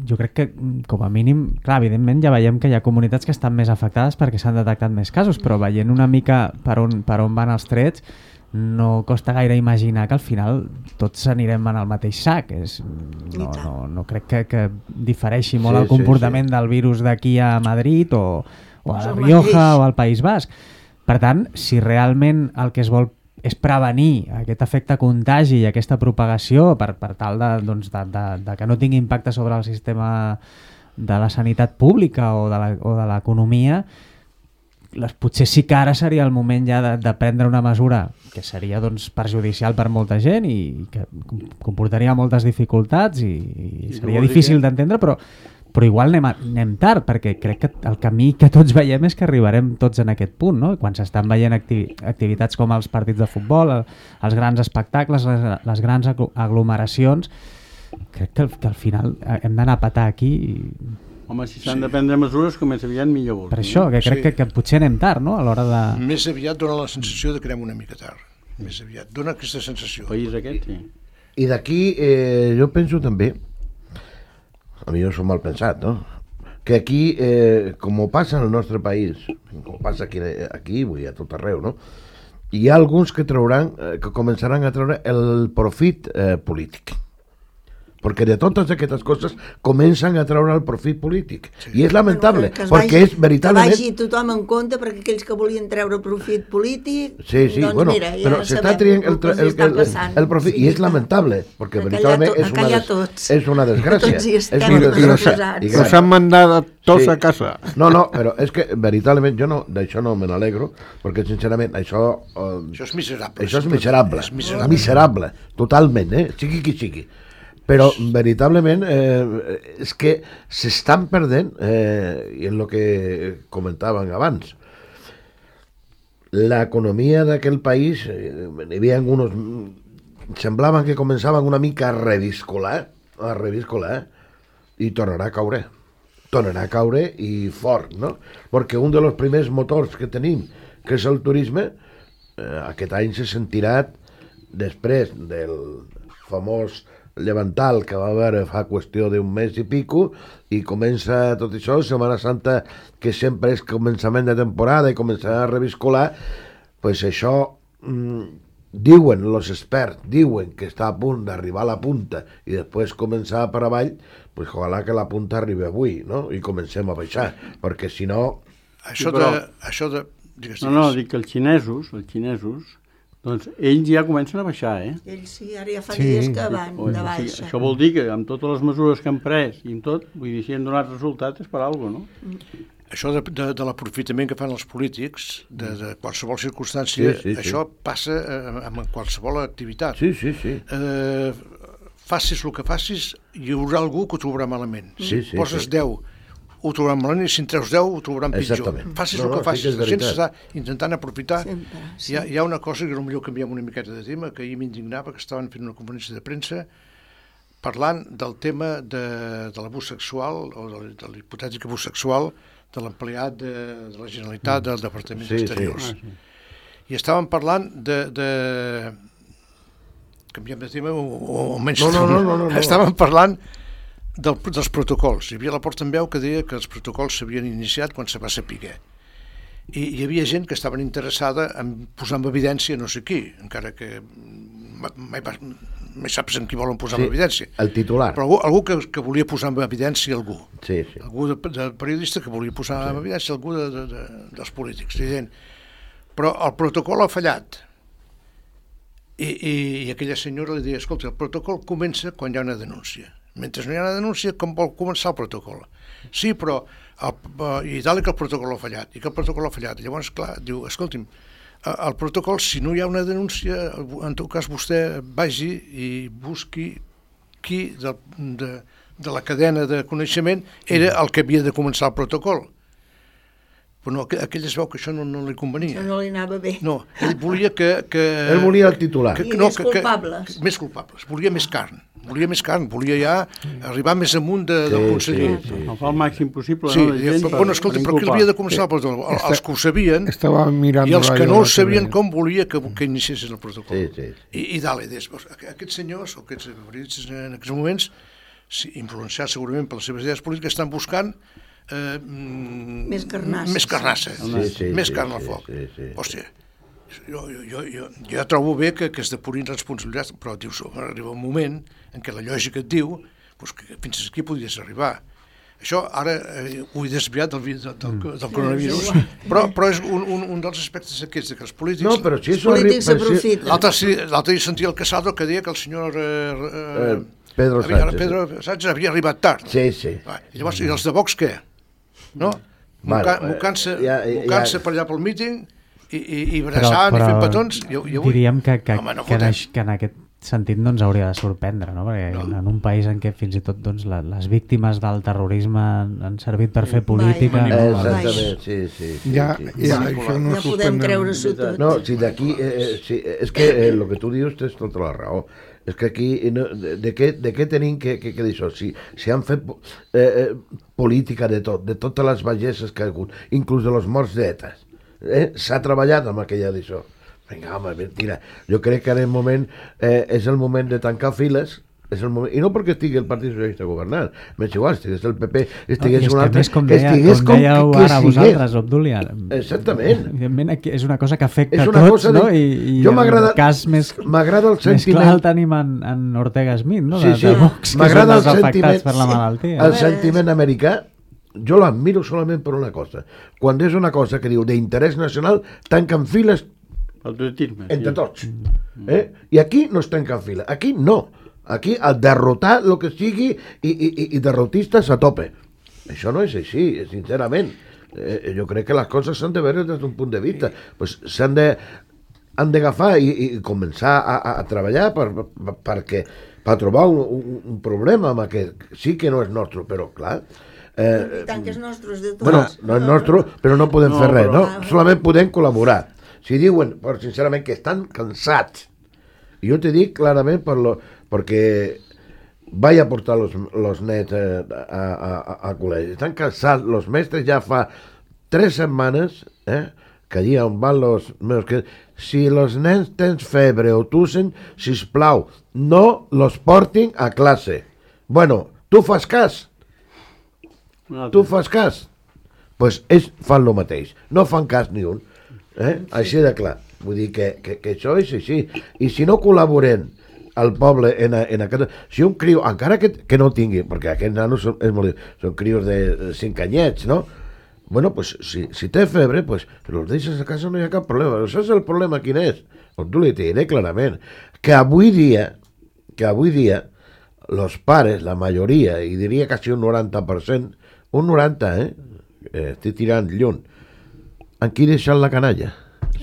jo crec que, com a mínim, clar, evidentment ja veiem que hi ha comunitats que estan més afectades perquè s'han detectat més casos, però veient una mica per on, per on van els trets, no costa gaire imaginar que al final tots anirem en el mateix sac. És, no, no, no crec que, que difereixi molt Sí, el comportament sí, sí. del virus d'aquí a Madrid o, o a És La el Rioja mateix. o al País Basc. Per tant, si realment el que es vol és prevenir aquest efecte contagi i aquesta propagació per, per tal de, doncs, de, de, de que no tingui impacte sobre el sistema de la sanitat pública o de la- o de l'economia, les, potser sí que ara seria el moment ja de, de prendre una mesura que seria doncs, perjudicial per molta gent i que com- comportaria moltes dificultats i, i I seria tu vols dir difícil que- d'entendre, però però igual anem, a, anem tard, perquè crec que el camí que tots veiem és que arribarem tots en aquest punt, no? Quan s'estan veient activi activitats com els partits de futbol, el, els grans espectacles, les, les grans aglu- aglomeracions, crec que, al- que al final hem d'anar a patar aquí i... Home, si s'han sí. de prendre mesures, com més aviat millor. vols Per dir, això, no? que crec Sí. que, que potser anem tard, no?, a l'hora de... Més aviat dona la sensació de que anem una mica tard. Més aviat. Dona aquesta sensació. El país aquest, sí. I d'aquí eh, jo penso també, a mi jo soc mal pensat, no? Que aquí, eh, com passa en el nostre país, com passa aquí, aquí vull dir, a tot arreu, no? Hi ha alguns que trauran, eh, que començaran a treure el profit eh, polític. perquè de totes aquestes coses comencen a treure el profit polític. Sí. I és lamentable, que, que perquè vagi, és veritablement... Que vagi tothom en compte, perquè aquells que volien treure profit polític... Sí, sí, doncs bueno, mira, ja però s'està trient el, el, el, el, el profit, sí, i és lamentable, perquè veritablement és una, des, és una desgràcia. Tots hi estem és una posats. Los han mandat tots sí. a casa. No, no, però és que veritablement jo no, d'això no me n'alegro, perquè sincerament això... Eh, això és miserable. Això és miserable, és miserable. miserable, totalment, eh? Sigui qui sigui. Però veritablement eh, és que s'estan perdent, eh, i és el que comentaven abans, l'economia d'aquell país, eh, hi havia alguns, semblaven que començaven una mica a reviscolar, a reviscolar, i tornarà a caure. Tornarà a caure i fort, no? Perquè un dels primers motors que tenim, que és el turisme, eh, aquest any se sentirà després del famós llevantal que va haver fa qüestió d'un mes i pico, i comença tot això, Setmana Santa, que sempre és començament de temporada i començarà a reviscolar, pues això, mmm, diuen els experts, diuen que està a punt d'arribar a la punta i després començar per avall, pues ojalà que la punta arribi avui, no? I comencem a baixar, perquè si no... Això sí, però... de... Això de... Digues, digues. No, no, dic que els xinesos, els xinesos, doncs ells ja comencen a baixar, eh? Ells sí, ara ja fa sí. dies que van o, de baixa. Sí, això vol dir que amb totes les mesures que han pres i amb tot, vull dir, si han donat resultats és per alguna cosa, no? Mm. Això de, de, de l'aprofitament que fan els polítics, de, de qualsevol circumstància, sí, sí, això sí. passa eh, amb qualsevol activitat. Sí, sí, sí. Eh, facis el que facis, hi haurà algú que ho trobarà malament. Sí, sí, Poses sí. deu, ho trobaran malament, i si en treus deu, ho trobaran pitjor. Exactament. Facis no, el que no, facis, sí la gent s'està intentant aprofitar. Sempre, sí. hi, ha, hi ha una cosa que potser canviem una miqueta de tema, que ahir m'indignava, que estaven fent una conferència de premsa parlant del tema de, de l'abús sexual, o de, de l'hipotètic abús sexual de l'empleat de, de la Generalitat, del Departament sí, d'Exteriors. Sí. Ah, sí. I estaven parlant de... de... canviem de tema o, o menys... No, no, no, no, no, no. Estaven parlant del, dels protocols. Hi havia la portaveu que deia que els protocols s'havien iniciat quan se va saber. I hi havia gent que estaven interessada en posar en evidència no sé qui, encara que mai, mai saps en qui volen posar sí, en evidència. El titular. Però algú, algú que, que volia posar en evidència algú. Sí, sí. Algú de, de periodista que volia posar sí. en evidència algú de, de, de, dels polítics. Dient, però el protocol ha fallat. I, i, i aquella senyora li deia, escolta, el protocol comença quan hi ha una denúncia. Mentre no hi ha una denúncia, com vol començar el protocol? Sí, però el, i dalt que el protocol ha fallat, i que el protocol ha fallat. Llavors, clar, diu, escolti'm, el protocol, si no hi ha una denúncia, en tot cas vostè vagi i busqui qui de, de, de la cadena de coneixement era el que havia de començar el protocol. Però no, aquell es veu que això no, no li convenia. Això no li anava bé. No, ell volia que... que ell volia el titular. Que, I no, més que, culpables. Que, més culpables. Volia més carn. Volia més carn. Volia ja arribar més amunt de, sí, del conseller. Sí, sí. El fa el màxim possible. Sí, no, ja, però, bueno, escolta, però qui havia de començar el protocol? Esta, els que ho sabien i els que no ho sabien com volia que, que iniciessin el protocol. Sí, sí, sí. I, i dale, des, aquests senyors, o aquests periodistes en aquests moments, influenciats segurament per les seves idees polítiques, estan buscant Eh, més carnassa, més carnassa, sí, sí, més sí, carn al sí, foc. sí, sí, sí. Hòstia, jo, jo, jo, jo, jo ja trobo bé que, que es depurin responsabilitats, però dius, arriba un moment en què la lògica et diu pues, que fins aquí podries arribar. Això ara eh, ho he desviat del, del, del, del coronavirus, però, però és un, un, un dels aspectes aquests, que els polítics... No, però si els polítics s'aprofiten. L'altre dia sentia el Casado que deia que el senyor... Eh, eh, Pedro havia, Sánchez. Pedro Sánchez havia arribat tard. Sí, sí. I llavors, i els de Vox què? No? Mocant-se ja, ja, ja. per allà pel míting i, i, i abraçant i fent petons. I, i avui... Diríem que, que, Home, no que, en, que en aquest sentit no ens hauria de sorprendre, no? Perquè no. en un país en què fins i tot doncs, la, les víctimes del terrorisme han servit per fer política... Vai, exactament, sí, sí. sí, ja, sí. ja, això no ja podem creure-s'ho tot. No, si d'aquí... Eh, sí, és que eh, el que tu dius tens tota la raó. És que aquí, no, de, de, què, de què tenim que, que, que dir això? Si, si han fet eh, eh, política de tot, de totes les bagesses que ha hagut, inclús de los morts d'Eta, eh? S'ha treballat amb aquella d'això. Vinga, home, mentira. Jo crec que en el moment, eh, és el moment de tancar files és el moment, i no perquè estigui el Partit Socialista governant, m'és igual, estigués el P P, estigués no, un altre, com que deia, estigués com dèieu com que, que ara vosaltres, Obdúlia. Exactament. Evidentment aquí és una cosa que afecta És a una tots, cosa no? de... I, i jo el m'agrada cas més, m'agrada el més clar sentiment, el tenim en, en Ortega Smith, no? Sí, De, sí. de Vox, que M'agrada són els el afectats sentiment- per la malaltia. el sentiment americà. Jo l'admiro solament per una cosa, quan és una cosa que diu d'interès nacional, tanquen files Patriotisme. entre sí. tots, eh? I aquí no es tanquen files, aquí no, aquí el derrotar el que sigui i, i, i derrotistes a tope. Això no és així, sincerament. Eh, jo crec que les coses s'han de veure des d'un punt de vista, pues s'han de han d'agafar i, i començar a, a, a treballar per, per, perquè, per trobar un, un, un problema amb aquest, sí que no és nostre, però clar, I tant que és nostre, de tots. bueno, no és nostre, però no podem No, fer res, però- no? Solament podem col·laborar. Si diuen, però sincerament, que estan cansats, i jo te dic clarament per lo, perquè vaig a portar los, los nets eh, a, a, a, a col·legi. Estan cansats, los mestres ja fa tres setmanes, eh, que allí on van los meus que si los nens tens febre o tussen, sisplau, no los portin a classe. Bueno, tu fas cas? Tu fas cas? Doncs pues ells fan el mateix, no fan cas ni un, eh? Així de clar, vull dir que, que, que això és així, i si no col·laborem al poble en, a, en aquest... Si un criu, encara que, que no tingui, perquè aquests nanos són, és molt, són crios de cinc anyets, no? Bueno, pues si, si té febre, pues los deixes a casa, no hi ha cap problema. Això és el problema, quin és? Doncs tu li diré clarament, que avui dia, que avui dia, los pares, la majoria, i diria quasi un noranta per cent, un noranta, eh? eh estic tirant lluny, en qui deixar la canalla?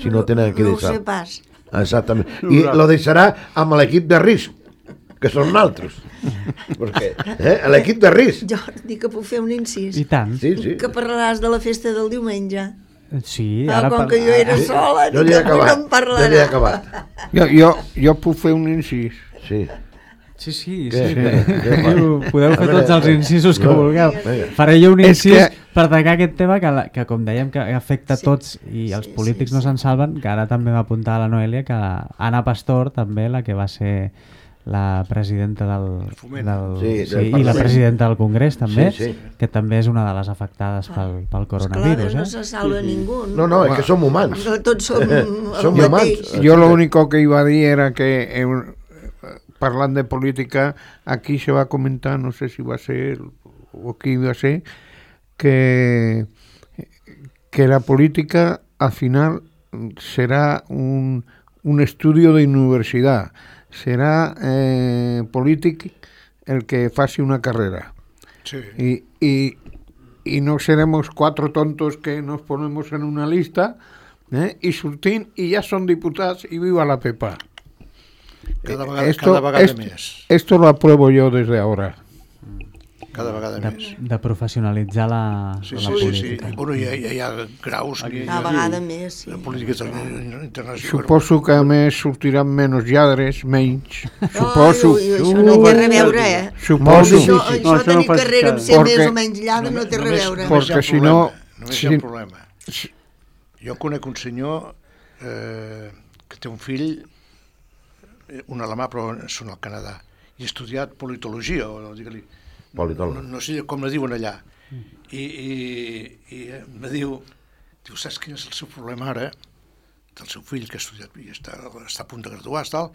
Si no tenen qui No ho deixar. sé pas. Exactament. I lo deixarà amb l'equip de risc, que són naltros. Perquè, eh? L'equip de risc. Jordi, que puc fer un incís. I tant. Sí, sí. Que parlaràs de la festa del diumenge. Sí, Ah, ara com par- que jo era ara- sola, Jo ni n'hi he que avui no acabat. en Jo n'hi he parlarà. acabat. Jo, jo, jo puc fer un incís. Sí. Sí, sí, Què? sí. Què? Què fa? Diu, podeu A fer veure, tots els eh, incisos que no, vulgueu. vinga. Faré jo un És incís que- per tancar aquest tema que, la, que com dèiem, que afecta Sí. tots i els Sí, polítics sí, no sí. se'n salven, que ara també va apuntar a la Noelia que Anna Pastor, també, la que va ser la presidenta del, Foment. del, Sí, sí, del i la Parlament. presidenta del Congrés també, Sí, sí. que també és una de les afectades pel, pel coronavirus. Clar, no Eh? se salva ningú. No, no, és que som humans. Tots som el Som mateix. humans. Yo lo único que iba a decir era que eh, hablando de política, aquí se va a comentar, no sé si va a ser o qué iba a ser, que, que la política al final será un, un estudio de universidad, será eh, polític el que faci una carrera. Sí. Y, y, y no seremos cuatro tontos que nos ponemos en una lista eh, y surtin y ya son diputados y viva la Pepa. Cada vegada, Esto, cada vegada esto, més. esto lo apruebo yo desde ahora. Cada vegada De, més. de professionalitzar la, Sí, la sí, sí, sí. política. Bueno, hi ha, hi ha graus que hi Cada ha vegada més, sí. de política inter- internacional. Suposo que a més sortiran menys lladres, menys. Suposo. Ai, ui, això no té res a veure, eh? Suposo. Això, No, això això no tenir fa- carrera amb ser Perquè- més o menys lladre no té res a Només- veure. només hi ha Perquè un si no- problema, Només hi si- ha un problema. Jo conec un senyor eh, que té un fill, eh, un alemà, però són al Canadà, i ha estudiat politologia, o digue-li, no, Politòleg. no, no sé com la diuen allà. I, i, i em diu, diu, saps quin és el seu problema ara? Del seu fill que ha estudiat i està, està a punt de graduar, tal,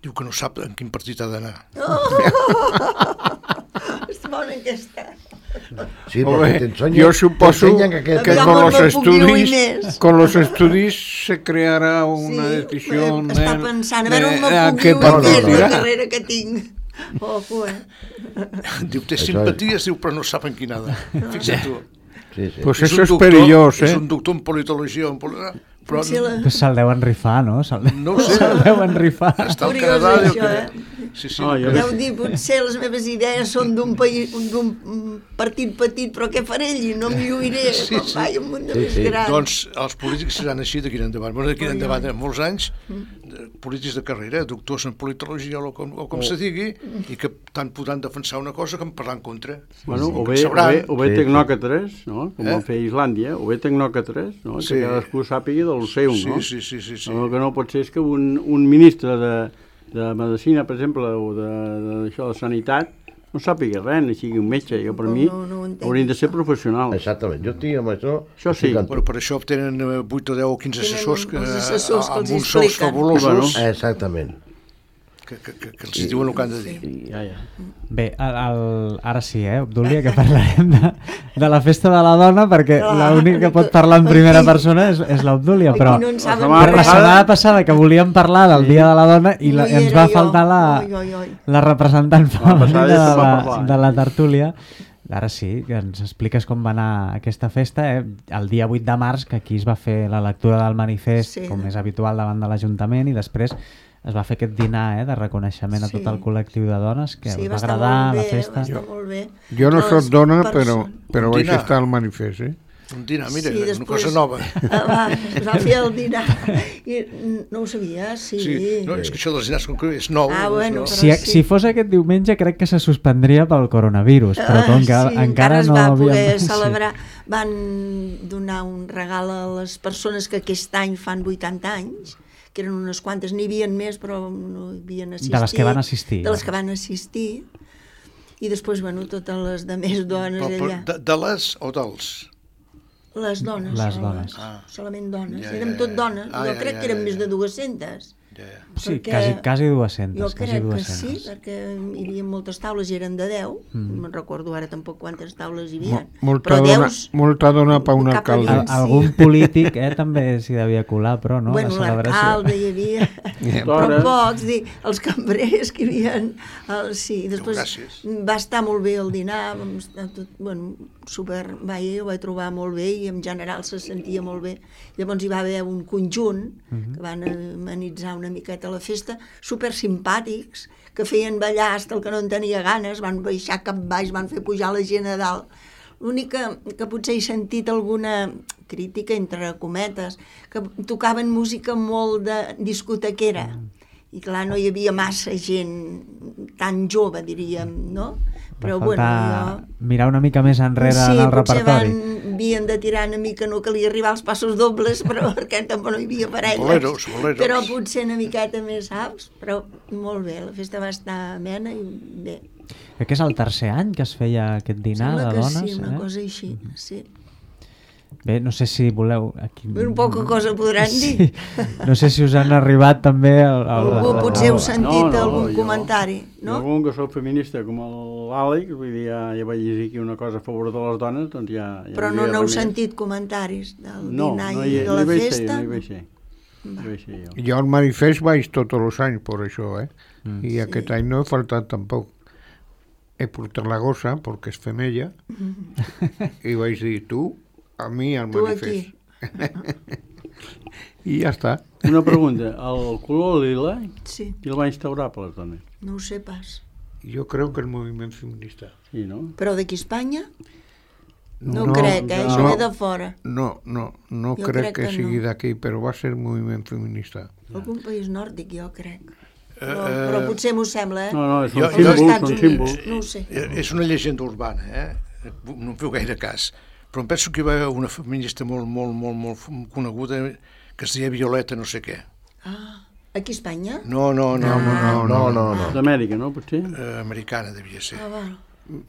diu que no sap en quin partit ha d'anar. És bona aquesta. Sí, Hombre, porque te enseñan, yo suposo te enseñan que, que Ya con no los me puc dir estudios més. con los estudios se creará una Sí, decisión eh, està de- pensant, a veure on de- me a puc qué dir no, més no, la no. carrera que tinc. Ojo, eh? Diu, té Això simpaties, diu, però no sap en quina ha d'anar. Fixa't tu. sí, sí. Pues És eso un es doctor- perillós, És eh? un doctor en politologia, en poli... però Potser la- Pues se'l deuen rifar, no? Se'l no ho sé. se'l deuen rifar. Està al Curiós, Canadà, diu això, que... eh? Sí, sí. No, jo- Deu dir, potser les meves idees són d'un país, d'un partit petit, però què faré allí? No em lluiré, Sí, sí, sí. sí. Vaig un munt de Sí, més sí. gran. Doncs els polítics seran així d'aquí en endavant. Bueno, d'aquí en endavant, en molts anys, de- polítics de carrera, doctors en politologia o com, o com se digui, i que tant podran defensar una cosa com parlar en contra. Bueno, o Que bé, o sabran. bé, o bé Sí, tecnòcrates, no? Com Eh? van fer a Islàndia, o bé tecnòcrates, no? Sí. Que cadascú sàpiga del seu, Sí, no? sí, sí, sí, sí. El que no pot ser és que un, un ministre de, de medicina, per exemple, o d'això de, de, de sanitat, no sàpiga res, ni sigui un metge. Jo, per No, mi, no, no ho entenc, haurien de ser això. professionals. Exactament, jo estic amb això... Això sí. estic amb Bueno, tu. per això obtenen vuit o deu o quinze Tenen assessors que, els assessors que amb els uns sous expliquen. fabulosos Exactament. que, que, que, que els diuen el que han de dir. Ja, ja. Bé, el, el, ara sí, eh, Obdúlia, que parlarem de, de la festa de la dona, perquè Clar. l'únic que pot parlar en primera persona és, és l'Obdúlia, Aquí però, no en saben setmana però la res. setmana passada que volíem parlar del Dia de la Dona i la, No hi ens era va jo. faltar la, Oi, oi, oi. la representant femenina passada de, ja se'n va la, parlar, eh? de la tertúlia. Ara sí, que ens expliques com va anar aquesta festa, eh? El dia vuit de març, que aquí es va fer la lectura del manifest, Sí. com és habitual, davant de l'Ajuntament, i després es va fer aquest dinar eh, de reconeixement a Sí. tot el col·lectiu de dones, que Sí, us va va estar agradar molt la bé, festa. va estar molt bé. Jo no Les soc dona, però, persones- però vaig Dinar. estar al manifest, eh? Un dinar, mira, Sí, una després- cosa nova. Ah, va, es va fer el dinar. I no ho sabia, sí. Sí, no, és que això dels dinars com que és nou. Ah, bueno, és nou. però Si, sí. si fos aquest diumenge crec que se suspendria pel coronavirus, però com que Ah, sí, encara es no va poder havíem... Sí. celebrar. Van donar un regal a les persones que aquest any fan vuitanta anys, que eren unes quantes, n'hi havia més, però no hi havien assistit. De les que van assistir. De les que van assistir. I després, bueno, totes les de més dones Però, però, allà. de, de les o dels? Les dones. Les soles, dones. Ah. Solament dones. Ja, Érem ja, tot ja. dones. Ah, jo ja, crec ja, que eren ja, més ja. de dues-centes. Ja, ja. Sí, perquè quasi, quasi dues-centes. Jo quasi crec que dues-centes. sí, perquè hi havia moltes taules i eren de deu. Mm. No me'n recordo ara tampoc quantes taules hi havia. Mo- Molta però dona, deus... molta dona per un cap alcalde. endins. Al, algun polític eh, també s'hi devia colar, però no, bueno, la celebració. l'alcalde hi havia... però Dona. pocs, dir, els cambrers que hi havia... El, sí, i després Gràcies. va estar molt bé el dinar, vam estar tot, bueno, super... Vaja, jo ho vaig trobar molt bé i en general se sentia molt bé. Llavors hi va haver un conjunt que van amenitzar una miqueta la festa, super simpàtics, que feien ballar hasta el que no en tenia ganes, van baixar cap baix, van fer pujar la gent a dalt. L'únic que, que potser he sentit alguna crítica, entre cometes, que tocaven música molt de discotequera, i clar, no hi havia massa gent tan jove, diríem, no? Però Va bueno, faltar jo... mirar una mica més enrere sí, en el potser repertori. van, havien de tirar una mica, no calia arribar als passos dobles, però perquè tampoc no hi havia parelles. Boleros, boleros. Però potser una miqueta més, saps? Però molt bé, la festa va estar amena i bé. Crec que és el tercer any que es feia aquest dinar Sembla de que dones. sí, una eh? cosa així, sí. Bé, no sé si voleu... Aquí... Un poca cosa podran dir. Sí. No sé si us han arribat també... El, el, Algú el- potser heu el- sentit No, no, algun jo- comentari, Jo, no? com que soc feminista com l'Àlex, vull dir, ja, ja vaig llegir aquí una cosa a favor de les dones, doncs ja... ja Però hi no havia n'heu res més. sentit comentaris del No, dinar no i hi, de no la hi vaig ser, festa? no hi vaig ser. No hi vaig ser jo. Jo al manifest vaig tots els anys per això, eh? Mm. I aquest any no he faltat tampoc. He portat la gossa, perquè és femella, i vaig dir, tu, a mi al Tu manifest. I ja està. Una pregunta, el color lila, Sí, qui el va instaurar per les dones? no ho sé pas. Jo crec que el moviment feminista. Sí, no? Però d'aquí a Espanya? No, No, crec, eh? Això no. ve de fora. No, no, no Jo crec, crec que, que sigui no. d'aquí, però va ser el moviment feminista. Algun país nòrdic, jo crec. Però, Eh, però potser m'ho sembla, eh? No, no, són Jo- Els símbols, Estats són Units, símbols. no ho sé. Eh, És una llegenda urbana, eh? No em feu gaire cas. Però em penso que hi va haver una feminista molt, molt, molt, molt coneguda que es deia Violeta no sé què. Ah, aquí a Espanya? No, no, no, Ah. no, No, no, no. D'Amèrica, no, potser? eh, americana devia ser. Ah, val.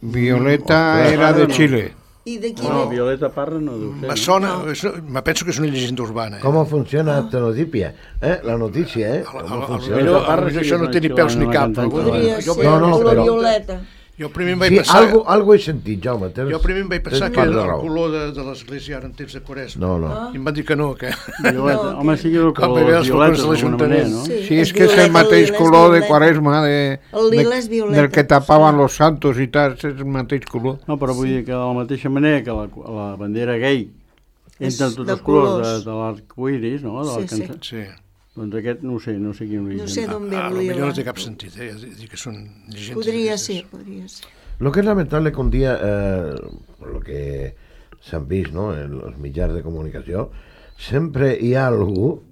Violeta Ostres, era ara de no. Xile. I d'aquí No, ve? Violeta Parra no deu ser. Me no? sona, és una- me penso que és una llegenda urbana. Eh? ¿Cómo funciona esta noticia? ¿Eh? La noticia, ¿eh? A- a- ¿Cómo a- funciona? millor- Violeta Parra a- sí això que no és té ni una peus ni xilena cap. cantant. però- Podria jo, ser no, no, el color però- violeta. jo primer em vaig Sí, pensar... algo, algo he sentit, Jaume. Tens, Jo primer em vaig pensar tens que part de era el raó. color de, de l'església ara en temps de Quaresma. No, no. I em van dir que no, que... Violeta. No, Home, que- sí que és el Com color veus, de violeta, els d'alguna manera, no? Sí. Sí, és és que és el violeta, mateix el lila és color de violeta. Quaresma, de, El lila de- és violeta. del que tapaven los santos i tal, és el mateix color. No, però vull dir que de la mateixa manera que la, la bandera gay És entra en tots de els colors colors. de, de l'arcoiris, no? De Sí, sí. cançó. Sí. Doncs aquest no ho sé, no sé quin origen. No sé d'on ve Ah, el potser lila. no té cap sentit, eh? Dir que són llegendes. Podria d'aquestes. ser, podria ser. Lo que es lamentable que un día, eh, por lo que s'han vist no, en els mitjans de comunicació, sempre hi ha algú,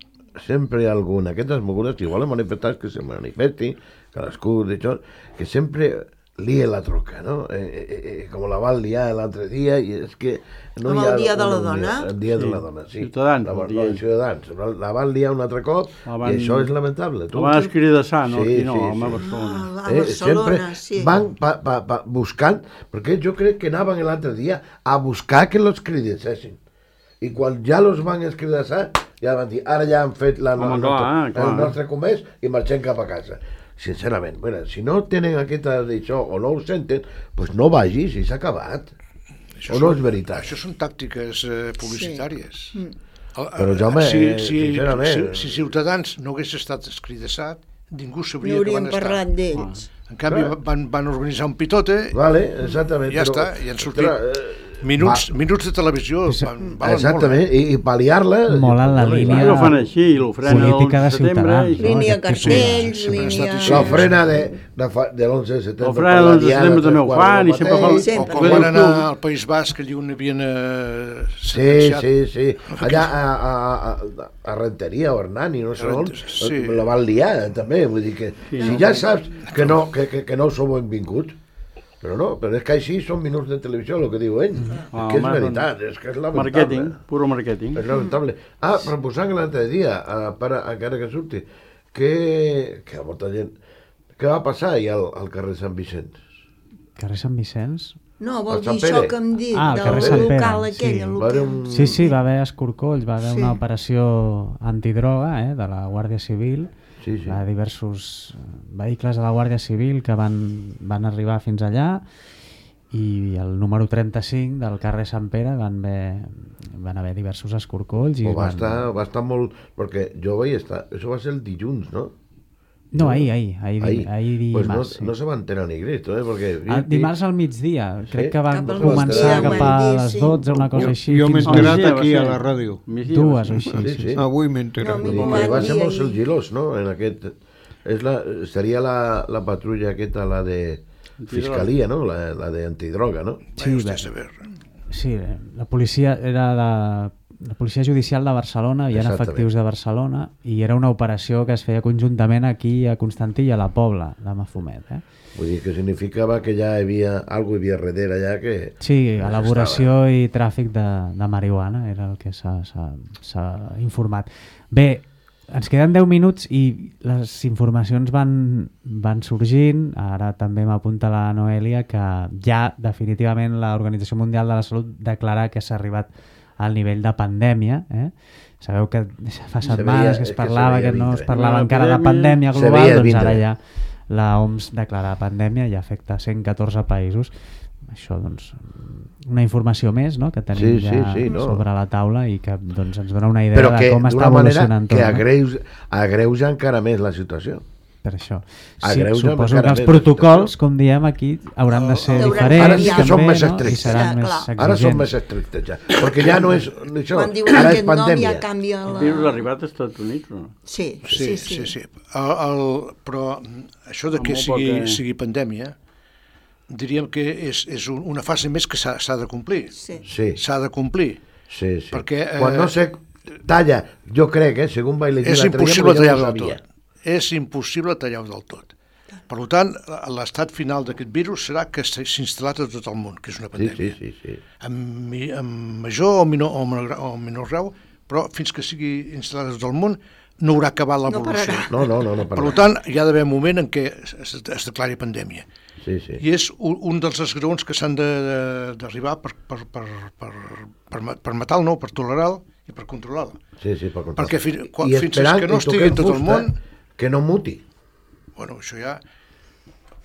sempre hi ha algú en aquestes mogudes, igual en manifestats que se manifesti, cadascú d'això, que sempre lie la troca, no? Eh, eh, eh, com la van liar l'altre dia, i és que... No Com hi ha el dia de la una dona? unió. El dia Sí. de la dona, sí. Ciutadans, La, vol la, dir la, ell. Ciutadans. La, la van liar un altre cop, La van- i això és lamentable. La van escridassar, no? Sí, Aquí no, sí, home, a sí. Barcelona. Ah, a Eh, Barcelona, sempre sí. van pa, pa, pa, buscant, perquè jo crec que anaven l'altre dia a buscar que los cridessin. I quan ja los van escridassar, ja van dir, ara ja han fet la, Home, el, clar, nostre, clar. el nostre comerç i marxem cap a casa. Sincerament, bueno, si no tenen aquesta d'això o no ho senten, doncs no vagis i s'ha acabat. Això O no són- és veritat? Això són tàctiques eh, publicitàries. Sí. El, Però, Jaume, si, eh, si, sincerament- si, si Ciutadans no hagués estat escridassat, ningú No sabria que hauríem van estar. parlat d'ells. En canvi, Clar. van, van organitzar un pitote, Vale, exactament. ja però, està, i han sortit ostres, eh, minuts, va, minuts de televisió. Van, valen exactament, i, i pal·liar-la... Molt en la no li línia- va. I ho fan així, i l'ofrena Política de l'onze de setembre... Ciutadans, i- no? Línia Aquest tipus de- cartells, sempre ha estat línia... així. L'ofrena de, de, fa- de l'onze de setembre. L'ofrena de l'onze de setembre també ho fan, i sempre fan- O Sempre. quan van anar al País Basc, allí on havien eh, Sí, sentenciat. sí, sí. Allà a, a, a, a Renteria o Hernani, no sé on, Sí. la van liar també, vull dir que Sí, si no? ja saps que no, que, que, que no sou benvinguts, però no, però és que així són minuts de televisió, el que diu ell, Ah, que és home, veritat, és que és lamentable. Marketing, puro marketing. És lamentable. Ah, proposant l'altre dia, a, per, encara que surti, que, que molta gent... Què va passar ahir al, al carrer Sant Vicenç? Carrer Sant Vicenç? No, vol El Sant dir això Pere. que em dic, Ah, el carrer del Sant Pere, local sí. aquell, el Va haver local. un... Sí, sí, va haver escorcolls, va haver Sí. una operació antidroga eh, de la Guàrdia Civil. Sí, sí. Hi ha diversos vehicles de la Guàrdia Civil que van, van arribar fins allà i el número trenta-cinc del carrer Sant Pere van haver, van haver diversos escorcolls. I O va, van... estar, va estar molt... Perquè jo vaig estar... Això va ser el dilluns, no? No, ahir, ahir, ahir, ahir, ahir pues dimarts. no, no se va enterar ni Cristo, eh? Perquè... Ah, dimarts al migdia, crec Sí? que van Cap al començar migdia, cap a van dir, les sí. dotze, una cosa Jo, així. jo m'he fins a enterat Migdia va aquí a ser. la ràdio. Migdia va dues ser. o així. Sí, Sí, sí. sí. Avui m'he enterat. No, Vull dir m'ho que van va ser dir molt ahir. sigilós, no? En aquest... És la, seria la, la patrulla aquesta, la de Fiscalia, no? La, la de antidroga, no? Sí, Vaya usted bé. a saber. Sí, la policia era de la policia judicial de Barcelona, hi ha Exactament. efectius de Barcelona i era una operació que es feia conjuntament aquí a Constantí i a la Pobla de Mafumet. Eh? Vull dir que significava que ja hi havia... Algo hi havia darrere allà que... Sí, elaboració i tràfic de, de marihuana era el que s'ha s'ha- s'ha informat. Bé, ens queden deu minuts i les informacions van, van sorgint. Ara també m'apunta la Noelia que ja definitivament l'Organització Mundial de la Salut declara que s'ha arribat al nivell de pandèmia. Eh? Sabeu que fa Se setmanes veia- que és es que parlava se veia que no es vindre. parlava Una encara de epidèmia. pandèmia Se global, veia doncs vindre. ara ja la O M S declara pandèmia i afecta cent catorze països. Això, doncs, una informació més, no?, que tenim Sí, sí, ja sí, no. sobre la taula i que doncs, ens dona una idea Però que de com està d'una manera evolucionant que tot. No? agreuja, agreuja encara més la situació. Per això. Sí, Agreuja suposo encara que els més la protocols, situació. com diem aquí, hauran de ser Hauran diferents. Ara sí que també, són més no? I estrictes. seran Ja, més clar. exigents. Ara són més estrictes ja. Perquè ja no és... Això, Quan diuen ara és aquest nom pandèmia. ja canvia El la... virus ha arribat als Estats Units, o no? Sí, Sí, sí, sí. El, el, però això de Amb que molt sigui, poca- sigui pandèmia, diríem que és, és un- una fase més que s'ha s'ha de complir. Sí. Sí, S'ha de complir. sí, sí. Perquè, eh, Quan no se talla, jo crec, eh, segons vaig llegir És l'altre dia, impossible però jo tallar-ho no del sabia. tot. És impossible tallar-ho del tot. Per tant, l'estat final d'aquest virus serà que s'ha instal·lat a tot el món, que és una Sí, pandèmia. sí, sí, sí. Amb, mi- amb major o menor, o menor, gra- o menor grau, però fins que sigui instal·lat a tot el món no haurà acabat No l'evolució. pararà. No, no, no, no Per parla. tant, hi ha d'haver un moment en què es, es declari pandèmia. Sí, sí. I és un, un dels esgraons que s'han de- de- d'arribar per, per, per, per, per, ma- per matar-lo, no, per tolerar-lo i per controlar-lo. Sí, sí, per controlar. Perquè fi- quan- I fins esperant que no i estigui en toquem tot el fusta, món- que no muti. Bueno, això ja...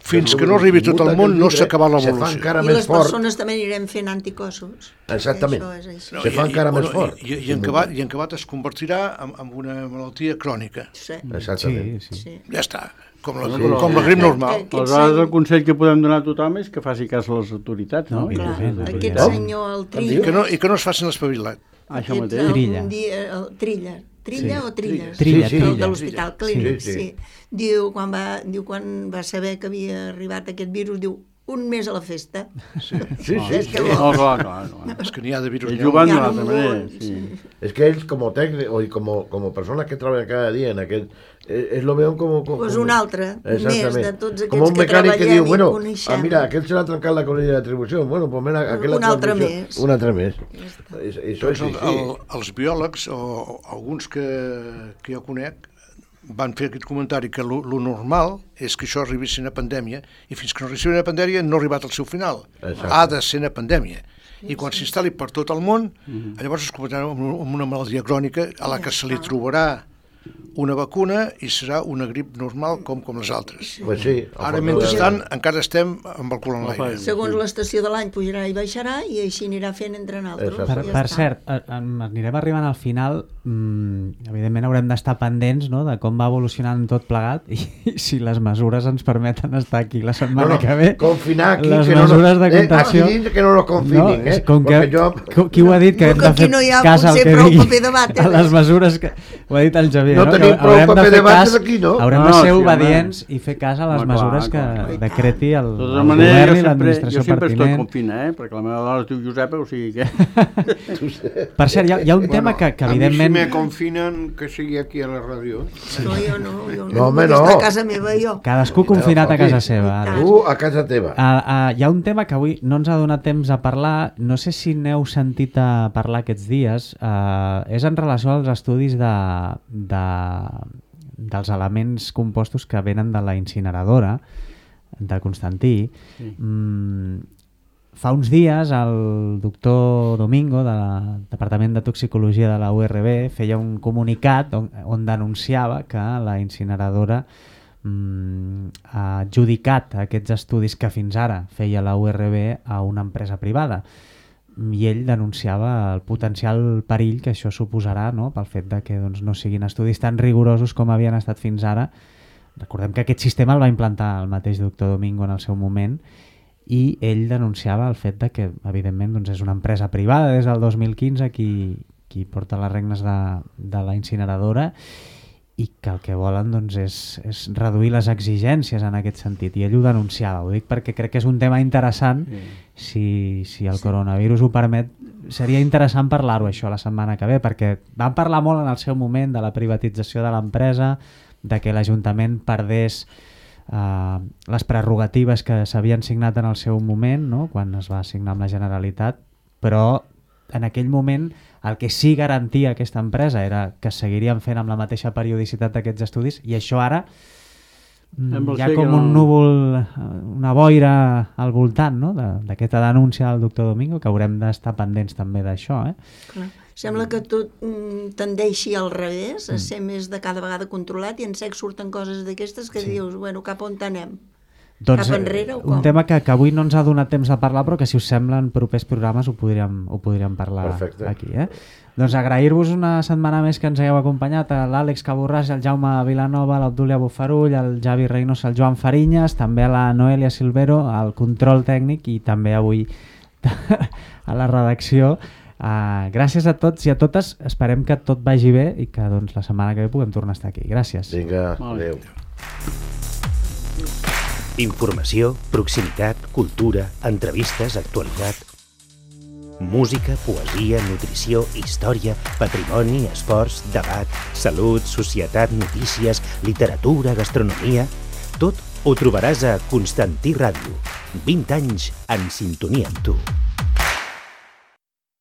Fins que no arribi a tot el món no s'ha acabat Se fa l'evolució. encara I més les fort. persones també anirem fent anticossos. Exactament. Això és així. Se fa encara més fort. I, i, i, en acabat, I en acabat es convertirà en, en una malaltia crònica. Sí. Exactament. Sí, sí. Sí. Ja està, com la, Bueno, però- com la grip normal. Aquest Aleshores, el senyor- consell que podem donar a tothom és que faci cas a les autoritats, no? No, I Clar, que- evidentment, aquest evidentment. senyor, el I Trilla... que no, i que no es facin l'espavilat. Això aquest, mateix. el- Trilla. un dia, el Trilla. Trilla Sí. o Trilles? Trilla, Sí, sí. El Trilla. de l'Hospital Clínic, Sí, sí. sí. Diu, quan va, diu, quan va saber que havia arribat aquest virus, diu, un més a la festa. Sí, sí, sí. És que sí. No, clar, clar, clar. És que n'hi ha de virus. Ells juguen Hi ha d'una altra un manera, munt, sí. Es que ells, como técnicos y como, como personas que trabajan cada día en aquel, eh, es lo veuen como... como Pues como- un altre, més de tots como un aquests que mecànic que treballem diu, i bueno, coneixem. ah, mira, aquel se l'ha trencat la colilla d'atribució, bueno, pues mira, aquel Un altre més. Un altre més. Això és Doncs el, així. el, els biòlegs, o, o alguns que, que jo conec, van fer aquest comentari que lo, lo normal és que això arribi a ser una pandèmia i fins que no arribi a ser una pandèmia no ha arribat al seu final. Exacte. Ha de ser una pandèmia. I quan s'instal·li per tot el món, llavors es convertirà en una malaltia crònica a la que se li trobarà una vacuna i serà una grip normal com com les altres. Pues sí. Ara, mentrestant, encara estem amb el cul en l'aire. Segons l'estació de l'any pujarà i baixarà i així anirà fent entre nosaltres. Exacte. Per, Ja per està. cert, eh, em- anirem arribant al final. Mm, evidentment haurem d'estar pendents, no?, de com va evolucionant tot plegat i, si les mesures ens permeten estar aquí la setmana No, no, que ve. confinar aquí, les que no mesures nos- de eh, contenció... aquí dins que no nos confinin, és eh, Com que, perquè jo- qui- Qui ho ha dit? Que No, hem que de aquí fer no hi ha cas al potser que prou digui paper de vàter. a les mesures que... Ho ha dit el Javier, No no? tenim Que prou haurem de paper fer de vàter cas, aquí, no? haurem No, de no, ser sí, obedients i fer cas a les Home, clar, mesures que clar. decreti el, De el tota manera, govern jo i sempre, l'administració jo sempre estoy pertinent. confina, eh? Perquè la meva dona es diu Josepa, o sigui que... Per cert, hi ha, hi ha un tema que, que a evidentment... mi si me confinan que sigui aquí a la ràdio. No, jo no, jo no, No, home, vull no. estar a casa meva, jo. Cadascú confinat a casa seva. Ara. Tu a casa teva. Uh, uh, hi ha un tema que avui no ens ha donat temps a parlar, no sé si n'heu sentit a parlar aquests dies, uh, és en relació als estudis de, de, dels elements compostos que venen de la incineradora de Constantí. Sí. Mm, fa uns dies el doctor Domingo del Departament de Toxicologia de la U R B feia un comunicat on, on denunciava que la incineradora mm, ha adjudicat aquests estudis que fins ara feia la U R B a una empresa privada i ell denunciava el potencial perill que això suposarà, no?, pel fet de que doncs, no siguin estudis tan rigorosos com havien estat fins ara. Recordem que aquest sistema el va implantar el mateix doctor Domingo en el seu moment i ell denunciava el fet de que, evidentment, doncs, és una empresa privada des del dos mil quinze qui, qui porta les regnes de, de la incineradora i que el que volen doncs, és, és reduir les exigències en aquest sentit. I ell ho denunciava. Ho dic perquè crec que és un tema interessant. Si, si el coronavirus ho permet, seria interessant parlar-ho això la setmana que ve, perquè vam parlar molt en el seu moment de la privatització de l'empresa, de que l'Ajuntament perdés eh, les prerrogatives que s'havien signat en el seu moment, no?, quan es va signar amb la Generalitat, però en aquell moment el que sí garantia aquesta empresa era que seguirien fent amb la mateixa periodicitat d'aquests estudis i això ara mm, Sembla hi ha ser com que un no. núvol, eh, una boira al voltant, no?, de- d'aquesta denúncia del doctor Domingo, que haurem d'estar pendents també d'això, eh? Clar. Sembla que tot mm, tendeixi al revés, a ser més de cada vegada controlat i en sec surten coses d'aquestes que Sí. dius, bueno, cap on anem? Doncs, Cap eh, enrere o un com? tema que, que avui no ens ha donat temps de parlar, però que si us sembla en propers programes ho podríem, ho podríem parlar Perfecte. aquí. Eh? Doncs agrair-vos una setmana més que ens hagueu acompanyat, a l'Àlex Caborràs, el Jaume Vilanova, l'Obdúlia Bufarull, el Javi Reynosa, el Joan Farinyes, també a la Noelia Silvero, al control tècnic i també avui a la redacció. Uh, gràcies a tots i a totes, esperem que tot vagi bé i que doncs, la setmana que ve puguem tornar a estar aquí. Gràcies. Vinga, Vale. adéu. Informació, proximitat, cultura, entrevistes, actualitat. Música, poesia, nutrició, història, patrimoni, esports, debat, salut, societat, notícies, literatura, gastronomia... Tot ho trobaràs a Constantí Ràdio. vint anys en sintonia amb tu.